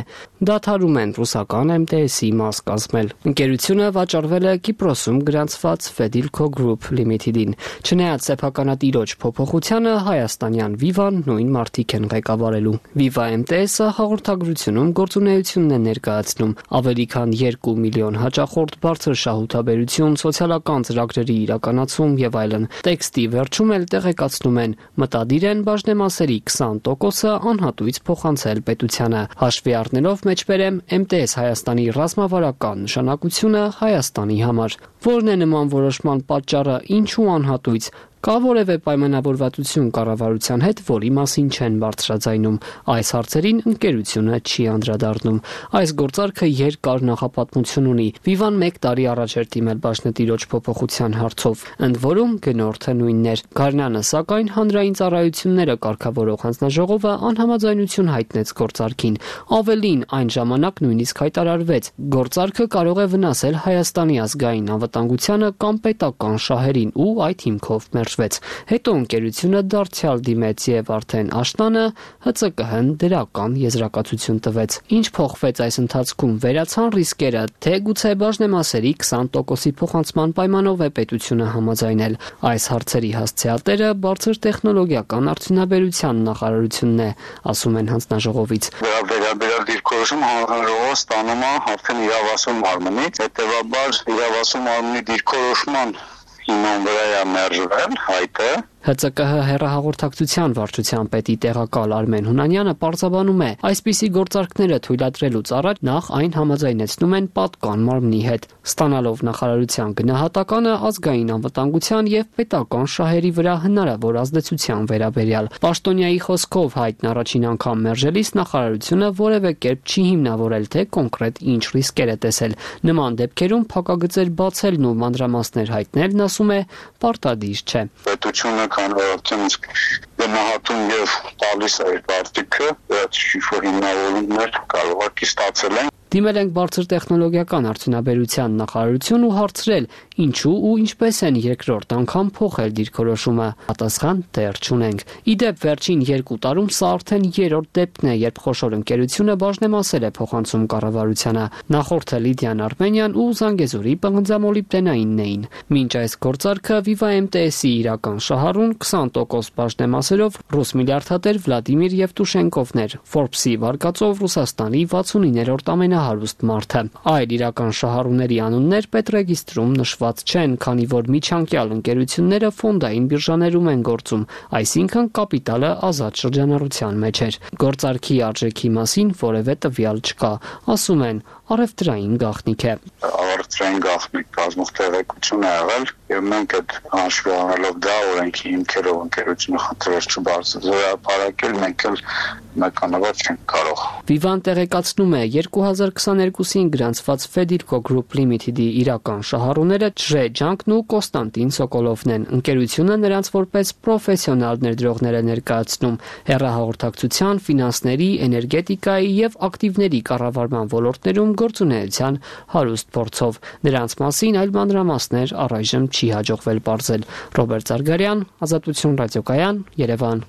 դադարում են ռուսական էմ տե էս-ի մաս կազմել։ Ընկերությունը վաճառվել է Կիպրոսում գրանցված Fedilco Group Limited-ին։ Չնայած սեփականատիրոջ փոփոխությանը հայաստանյան Viva-ն նույն մարդիկ են ղեկավարելու։ Viva էմ տե էս-ը հաղորդագրությունում գործունեությունն է ներկայացնում ավելի քան երկու միլիոն հաճախորդ, բարձր շահութաբերություն, սոցիալական ծրագրերի իրականացում եւ այլն։ Տեքստի վերջում էլ տեղեկացնում են, մտադիր են բաժնեմասերի քսան տոկոսը անհատույց փոխանցել պետությանը։ Հաշվի առնելով մեջբերեմ էմ տե էս Հայաստանի ռազմավարական նշանակությունը Հայաստանի համար։ Որն է նման որոշման պատճառը, ինչու անհատույց, կա որևէ պայմանավորվածություն կառավարության հետ, որի մասին չեն բարձրաձայնում։ Այս հարցերին ընկերությունը չի անդրադառնում։ Այս գործարքը երկար նախապատմություն ունի։ Viva-ն մեկ տարի առաջ էր դիմել բաժնետիրոջ փոփոխության հարցով, ընդ որում գնորդը նույնն էր։ Գարնանը, սակայն, հանրային ծառայությունները կարգավորող հանձնաժողովը անհամաձայնություն հայտնեց գործարքին։ Ավելին, այն ժամանակ նույնիսկ հայտարարվեց, գործարքը կարող է վնասել Հայաստանի ազգային անվտանգությանը կամ պետական շահերին ու այդ հիմքով Հետո ընկերությունը դարձյալ դիմեց եւ արդեն աշնանը հը ցե կը հն դրական եզրակացություն տվեց։ Ինչ փոխվեց այս ընթացքում, վերացան ռիսկերը, թե գուցե բաժնեմասերի քսան տոկոսի փոխանցման պայմանով է պետությունը համաձայնել։ Այս հարցերի հասցեատերը բարձր տեխնոլոգիական արդյունաբերության նախարարությունն է, ասում են հանձնաժողովից։ Վերաբերյալ դիրքորոշում հանձնաժողովը ստանում է արդեն իրավասում մարմնից, հետեւաբար իրավասում մարմնի դիրքորոշման հիման վրա է մերժվել հայտը։ հը ցե կը հը հեռահաղորդակցության վարչության պետի տեղակալ Արմեն Հունանյանը պարզաբանում է, այսպիսի գործարքները թույլատրելուց առաջ նախ այն համաձայնեցնում են պատկան մարմնի հետ, ստանալով նախարարության գնահատականը ազգային անվտանգության եւ պետական շահերի վրա հնարավոր ազդեցության վերաբերյալ։ Պաշտոնյայի խոսքով հայտն առաջին անգամ մերժելիս նախարարությունը որևէ կերպ չի հիմնավորել, թե կոնկրետ ինչ ռիսկեր է տեսել։ Նման դեպքերում փակագծեր բացելն ու մանրամասներ հայտնելն, ասում է, պարտադիր չէ։ Պետությունը քանորությունից գնահատում եւ տալիս է այդ արտիքը, այդ շիֆը հիմնավորումներ կարող է ստացել են։ Դիմել ենք բարձր տեխնոլոգիական արդյունաբերության նախարարություն ու հարցրել, ինչու ու ինչպես են երկրորդ անգամ փոխել դիրքորոշումը։ Պատասխան դեռ չունենք։ Ի դեպ, վերջին երկու տարում սա արդեն երրորդ դեպքն է, երբ խոշոր ընկերությունը բաժնեմասել է փոխանցում կառավարությանը։ Նախորդը Լիդիան Արմենիան ու Զանգեզուրի պղնձամոլիբդենայինն էին։ Մինչ այս գործարքը Viva M T S-ի իրական շահառուն քսան տոկոս բաժնեմասերով ռուս միլիարդատեր Վլադիմիր Եվտուշենկովն էր, Forbes-ի վարկածով Ռուսաստանի վաթսունիներորդ ամենահարուստ մարդը։ Այլ իրական շահառուների անուններ պետռեգիստրում նշված չեն, քանի որ միջանկյալ ընկերությունները ֆոնդային բիրժաներում են գործում, այսինքն կապիտալը ազատ շրջանառության մեջ էր։ Գործարքի արժեքի մասին որևէ տվյալ չկա, ասում են, առևտրային գաղտնիք է։ Առևտրային գաղտնիք կազմող տեղեկություն է եղել, եւ մենք այդ հաշվի առնելով դա օրենքի հիմքերով ընկերությունը խնդրեց չբարձրացնել, մենք էլ մեկանավոր չենք կարող։ Vivan տեղեկացնում է երկու հազար քսաներկուսին գրանցված Federco Group Limited-ի իրական շահառուները Չժե Ջանկն ու Կոստանտին Սոկոլովն են։ Ընկերությունը նրանց որպես պրոֆեսիոնալ ներդրողներ է ներկայացնում հեռահաղորդակցության, ֆինանսների, էներգետիկայի եւ ակտիվների կառավարման ոլորտներում գործունեության հարուստ փորձով։ Նրանց մասին այլ մանրամասներ առայժմ չի հաջողվել պարզել։ Ռոբերտ Զարգարյան, Ազատություն ռադիոկայան, Երևան։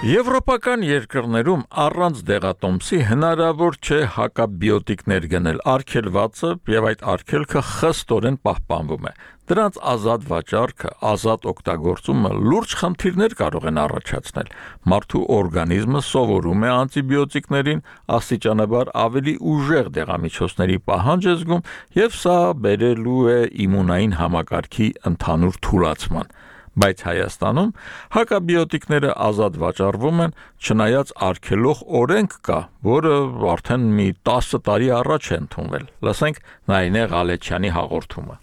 Եվրոպական երկրներում առանց դեղատոմսի հնարավոր չէ հակաբիոտիկներ գնել, արգելվածը եւ այդ արգելքը խստորեն պահպանվում է։ Դրանց ազատ վաճառքը, ազատ օգտագործումը լուրջ խնդիրներ կարող են առաջացնել։ Մարդու օրգանիզմը սովորում է անտիբիոտիկներին, աստիճանաբար ավելի ուժեղ դեղամիջոցների պահանջ է զգում եւ սա բերելու է իմունային համակարգի ընդհանուր թուլացման։ Բայց Հայաստանում հակաբիոտիկները ազատ վաճառվում են, չնայած արգելող օրենք կա, որը արդեն մի տասը տարի առաջ է ընդունվել։ Լսենք Նայինե Ղալեչյանի հաղորդումը։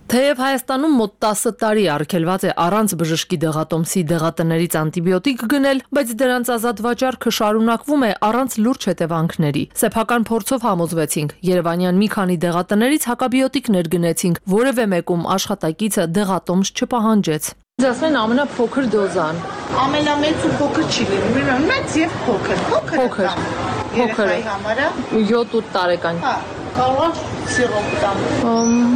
Թեև Հայաստանում մոտ տասը տարի արգելված է առանց բժշկի դեղատոմսի դեղատներից անտիբիոտիկ գնել, բայց դրանց ազատ վաճառքը շարունակվում է առանց լուրջ հետևանքների։ Սեփական փորձով համոզվեցինք, Երևանյան մի քանի դեղատներից հակաբիոտիկներ գնեցինք, որևէ մեկում աշխատակիցը դեղատոմս չպահանջեց։ Ձեզ ասում են ամենափոքր դոզան։ Ամենամեծ ու փոքր չի լինում, մեծ եւ փոքր։ Փոքր։ Փոքր։ յոթ-ութ տարեկան։ Հա, կարող սիրոպ տամ։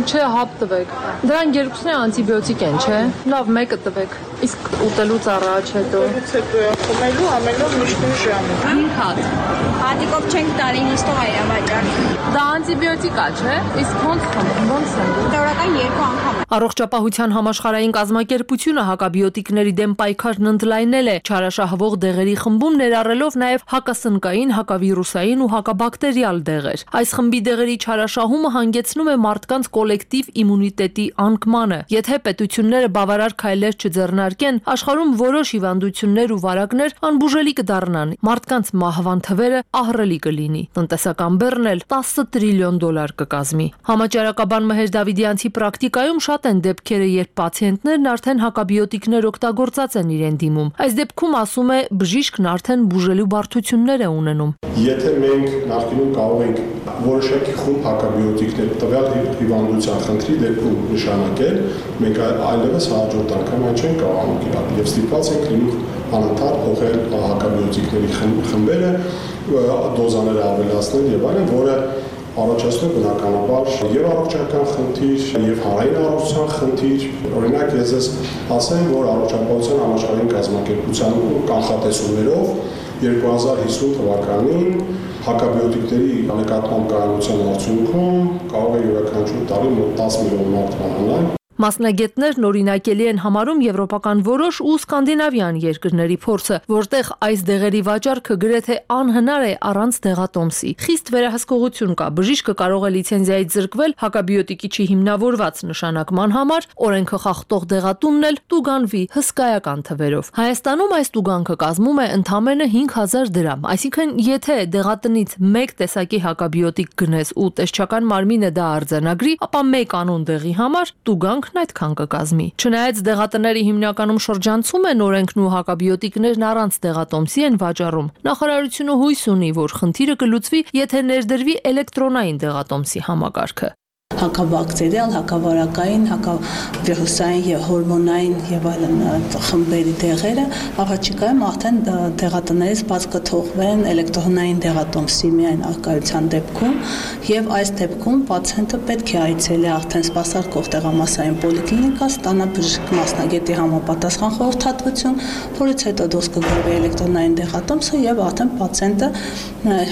Չէ, հապ տվեք։ Դրան երկուսն անտիբիոտիկ են, չէ։ Լավ, մեկը տվեք։ Իսկ ուտելուց առաջ հետո։ Ուտելուց հետո խմելու ամենով միշտ մի ժամ։ հինգ հատ։ Հատիկով չենք տարի նստող այրա վաճառ։ Դա անտիբիոտիկ է, չէ։ Իսկ ոնց խմում, ոնց են։ Դորական երկու անգամ։ Առողջապահության համաշխարհային կազմակերպությունը հակաբիոտիկների դեմ պայքարն ընդլայնել է, չարաշահվող դեղերի խմբում ներառելով նաև հակասնկային, հակավիրուսային ու հակաբակտերիալ դեղեր։ Այս խմբի դեղերի չարաշահումը հանգեցնում է մարդկանց կոլեկտիվ իմունիտետի անկմանը։ Եթե պետությունները բավարար քայլեր չձեռնարկեն, աշխարհում որոշ հիվանդություններ ու վարակներ անբուժելի կդառնան։ Մարդկանց մահվան թվերը ահռելի կլինի։ Տնտեսական բեռն էլ տասը տրիլիոն դոլար կկազմի։ Համաճարակաբան Մհեր Դավիդյանցի պրակտիկայում շատ են դեպքերը, երբ պացիենտներն արդեն հակաբիոտիկներ օգտագործած են իրեն դիմում։ Այս դեպքում ասում է բժիշկն արդեն բուժելու բարդություններ է ունենում։ Եթե մենք նախկինում կարող ենք որոշակի խումբ հակաբիոտիկներ տվյալ հիվանդության խնդրի դեպքում նշանակել, մենք այլևս հաջորդ անգամ այն չենք կարողանում կիրառել եւ ստիպված ենք լինում անընդհատ փոխել հակաբիոտիկների խմբերը, դոզաները ավելացնել եւ այլն, որը առաջացնում բնականաբար եւ առողջական խնդիր, եւ հանրային առողջության խնդիր։ Օրինակ ես ես ասեմ, որ առողջապահության համաշխարհային կազմակերպության կանխատեսումներով երկու հազար հիսուն թվականին հակաբիոտիկների նկատմամբ կայունության արդյունքում կարող է յուրաքանչյուր տարի մոտ տասը միլիոն մարդ մահանալ։ Մասնագետներն օրինակելի են համարում եվրոպական որոշ ու սկանդինավյան երկրների փորձը, որտեղ այս դեղերի վաճառքը գրեթե անհնար է առանց դեղատոմսի։ Խիստ վերահսկողություն կա, բժիշկը կարող է լիցենզիայից զրկվել հակաբիոտիկի չհիմնավորված նշանակման համար, օրենքը խախտող դեղատունն էլ տուգանվի հսկայական թվերով։ Հայաստանում այս տուգանքը կազմում է ընդամենը հինգ հազար դրամ, այսինքն եթե դեղատնից մեկ տեսակի հակաբիոտիկ գնես ու տեսչական մարմինը դա արձանագրի, ապա մեկ անուն դեղի համար տուգանք այդքան կկազմի։ Չնայած դեղատների հիմնականում շրջանցում են օրենքն ու հակաբիոտիկներն առանց դեղատոմսի են վաճառում, նախարարությունը հույս ունի, որ խնդիրը կլուծվի, եթե ներդրվի էլեկտրոնային դեղատոմսի համակարգը։ հակաբակտերիալ, հակավարակային, հակավիրուսային եւ հորմոնային եւ այլն խմբերի դեղերը առաջիկայում արդեն դեղատներից բաց կթողվեն էլեկտրոնային դեղատոմսի միայն արկայության դեպքում եւ այս դեպքում պացիենտը պետք է այցելի արդեն սպասարկող դեղամասային պոլիկլինիկա, ստանա բժշկ մասնագետի համապատասխան խորհրդատվություն, որից հետո դուրս կգրվի էլեկտրոնային դեղատոմսը եւ արդեն պացիենտը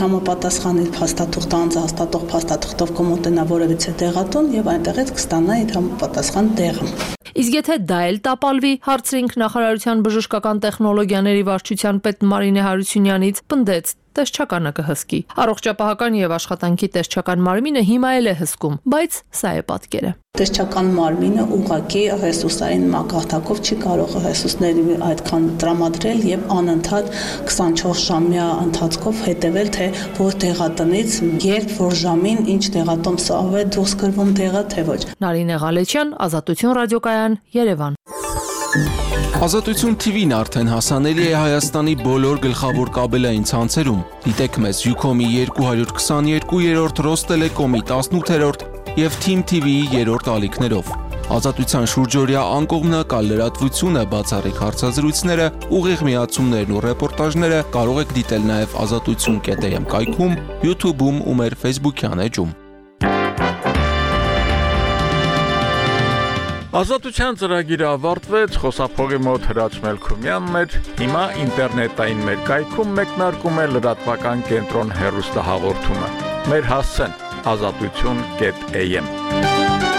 համապատասխան իր փաստաթուղթ անձը հաստատող փաստաթղթով կմոտենա որևիցե դեղատուն եւ այնտեղից կստանա իր համապատասխան դեղը։ Իսկ եթե դա էլ տապալվի, հարցրինք նախարարության բժշկական տեխնոլոգիաների վարչության պետ Մարինե Հարությունյանից, պնդեց տեսչականը կհսկի։ Առողջապահական եւ աշխատանքի տեսչական մարմինը հիմա էլ է հսկում, բայց սա է պատկերը։ Տեսչական մարմինը ուղղակի ռեսուրսային մակարդակով չի կարող ռեսուրսների այդքան տրամադրել եւ անընդհատ քսանչորս ժամյա ընթացքով հետեւել, թե որ դեղատնից երբ որ ժամին ինչ դեղատոմսը ավ է դուրս գրվում դեղը, թե ոչ։ Նարինե Ղալեչյան, Ազատություն ռադիոկայան, Երևան։ Ազատություն T V-ն արդեն հասանելի է Հայաստանի բոլոր գլխավոր կաբելային ցանցերում։ Դիտեք մեզ Ucom-ի երկու հարյուր քսաներկու, Ռոստելեկոմի տասնութերորդ եւ Team T V-ի երրորդ ալիքներով։ Ազատության շուրջօրյա անկողմնակալ լրատվությունը, բացառիկ հարցազրույցները, ուղիղ միացումներն ու ռեպորտաժները կարող եք դիտել նաեւ ազատություն կետ am կայքում, YouTube-ում ու մեր Facebook-յան էջում։ Ազատության ծրագիրը ավարտվեց, խոսափողի մոտ Հրաչ Մելքումյանն էր, հիմա ինտերնետային մեր կայքում մեկնարկում է լրատվական կենտրոն հեռուստահաղորդումը։ Մեր հասցեն ազատություն կետ am։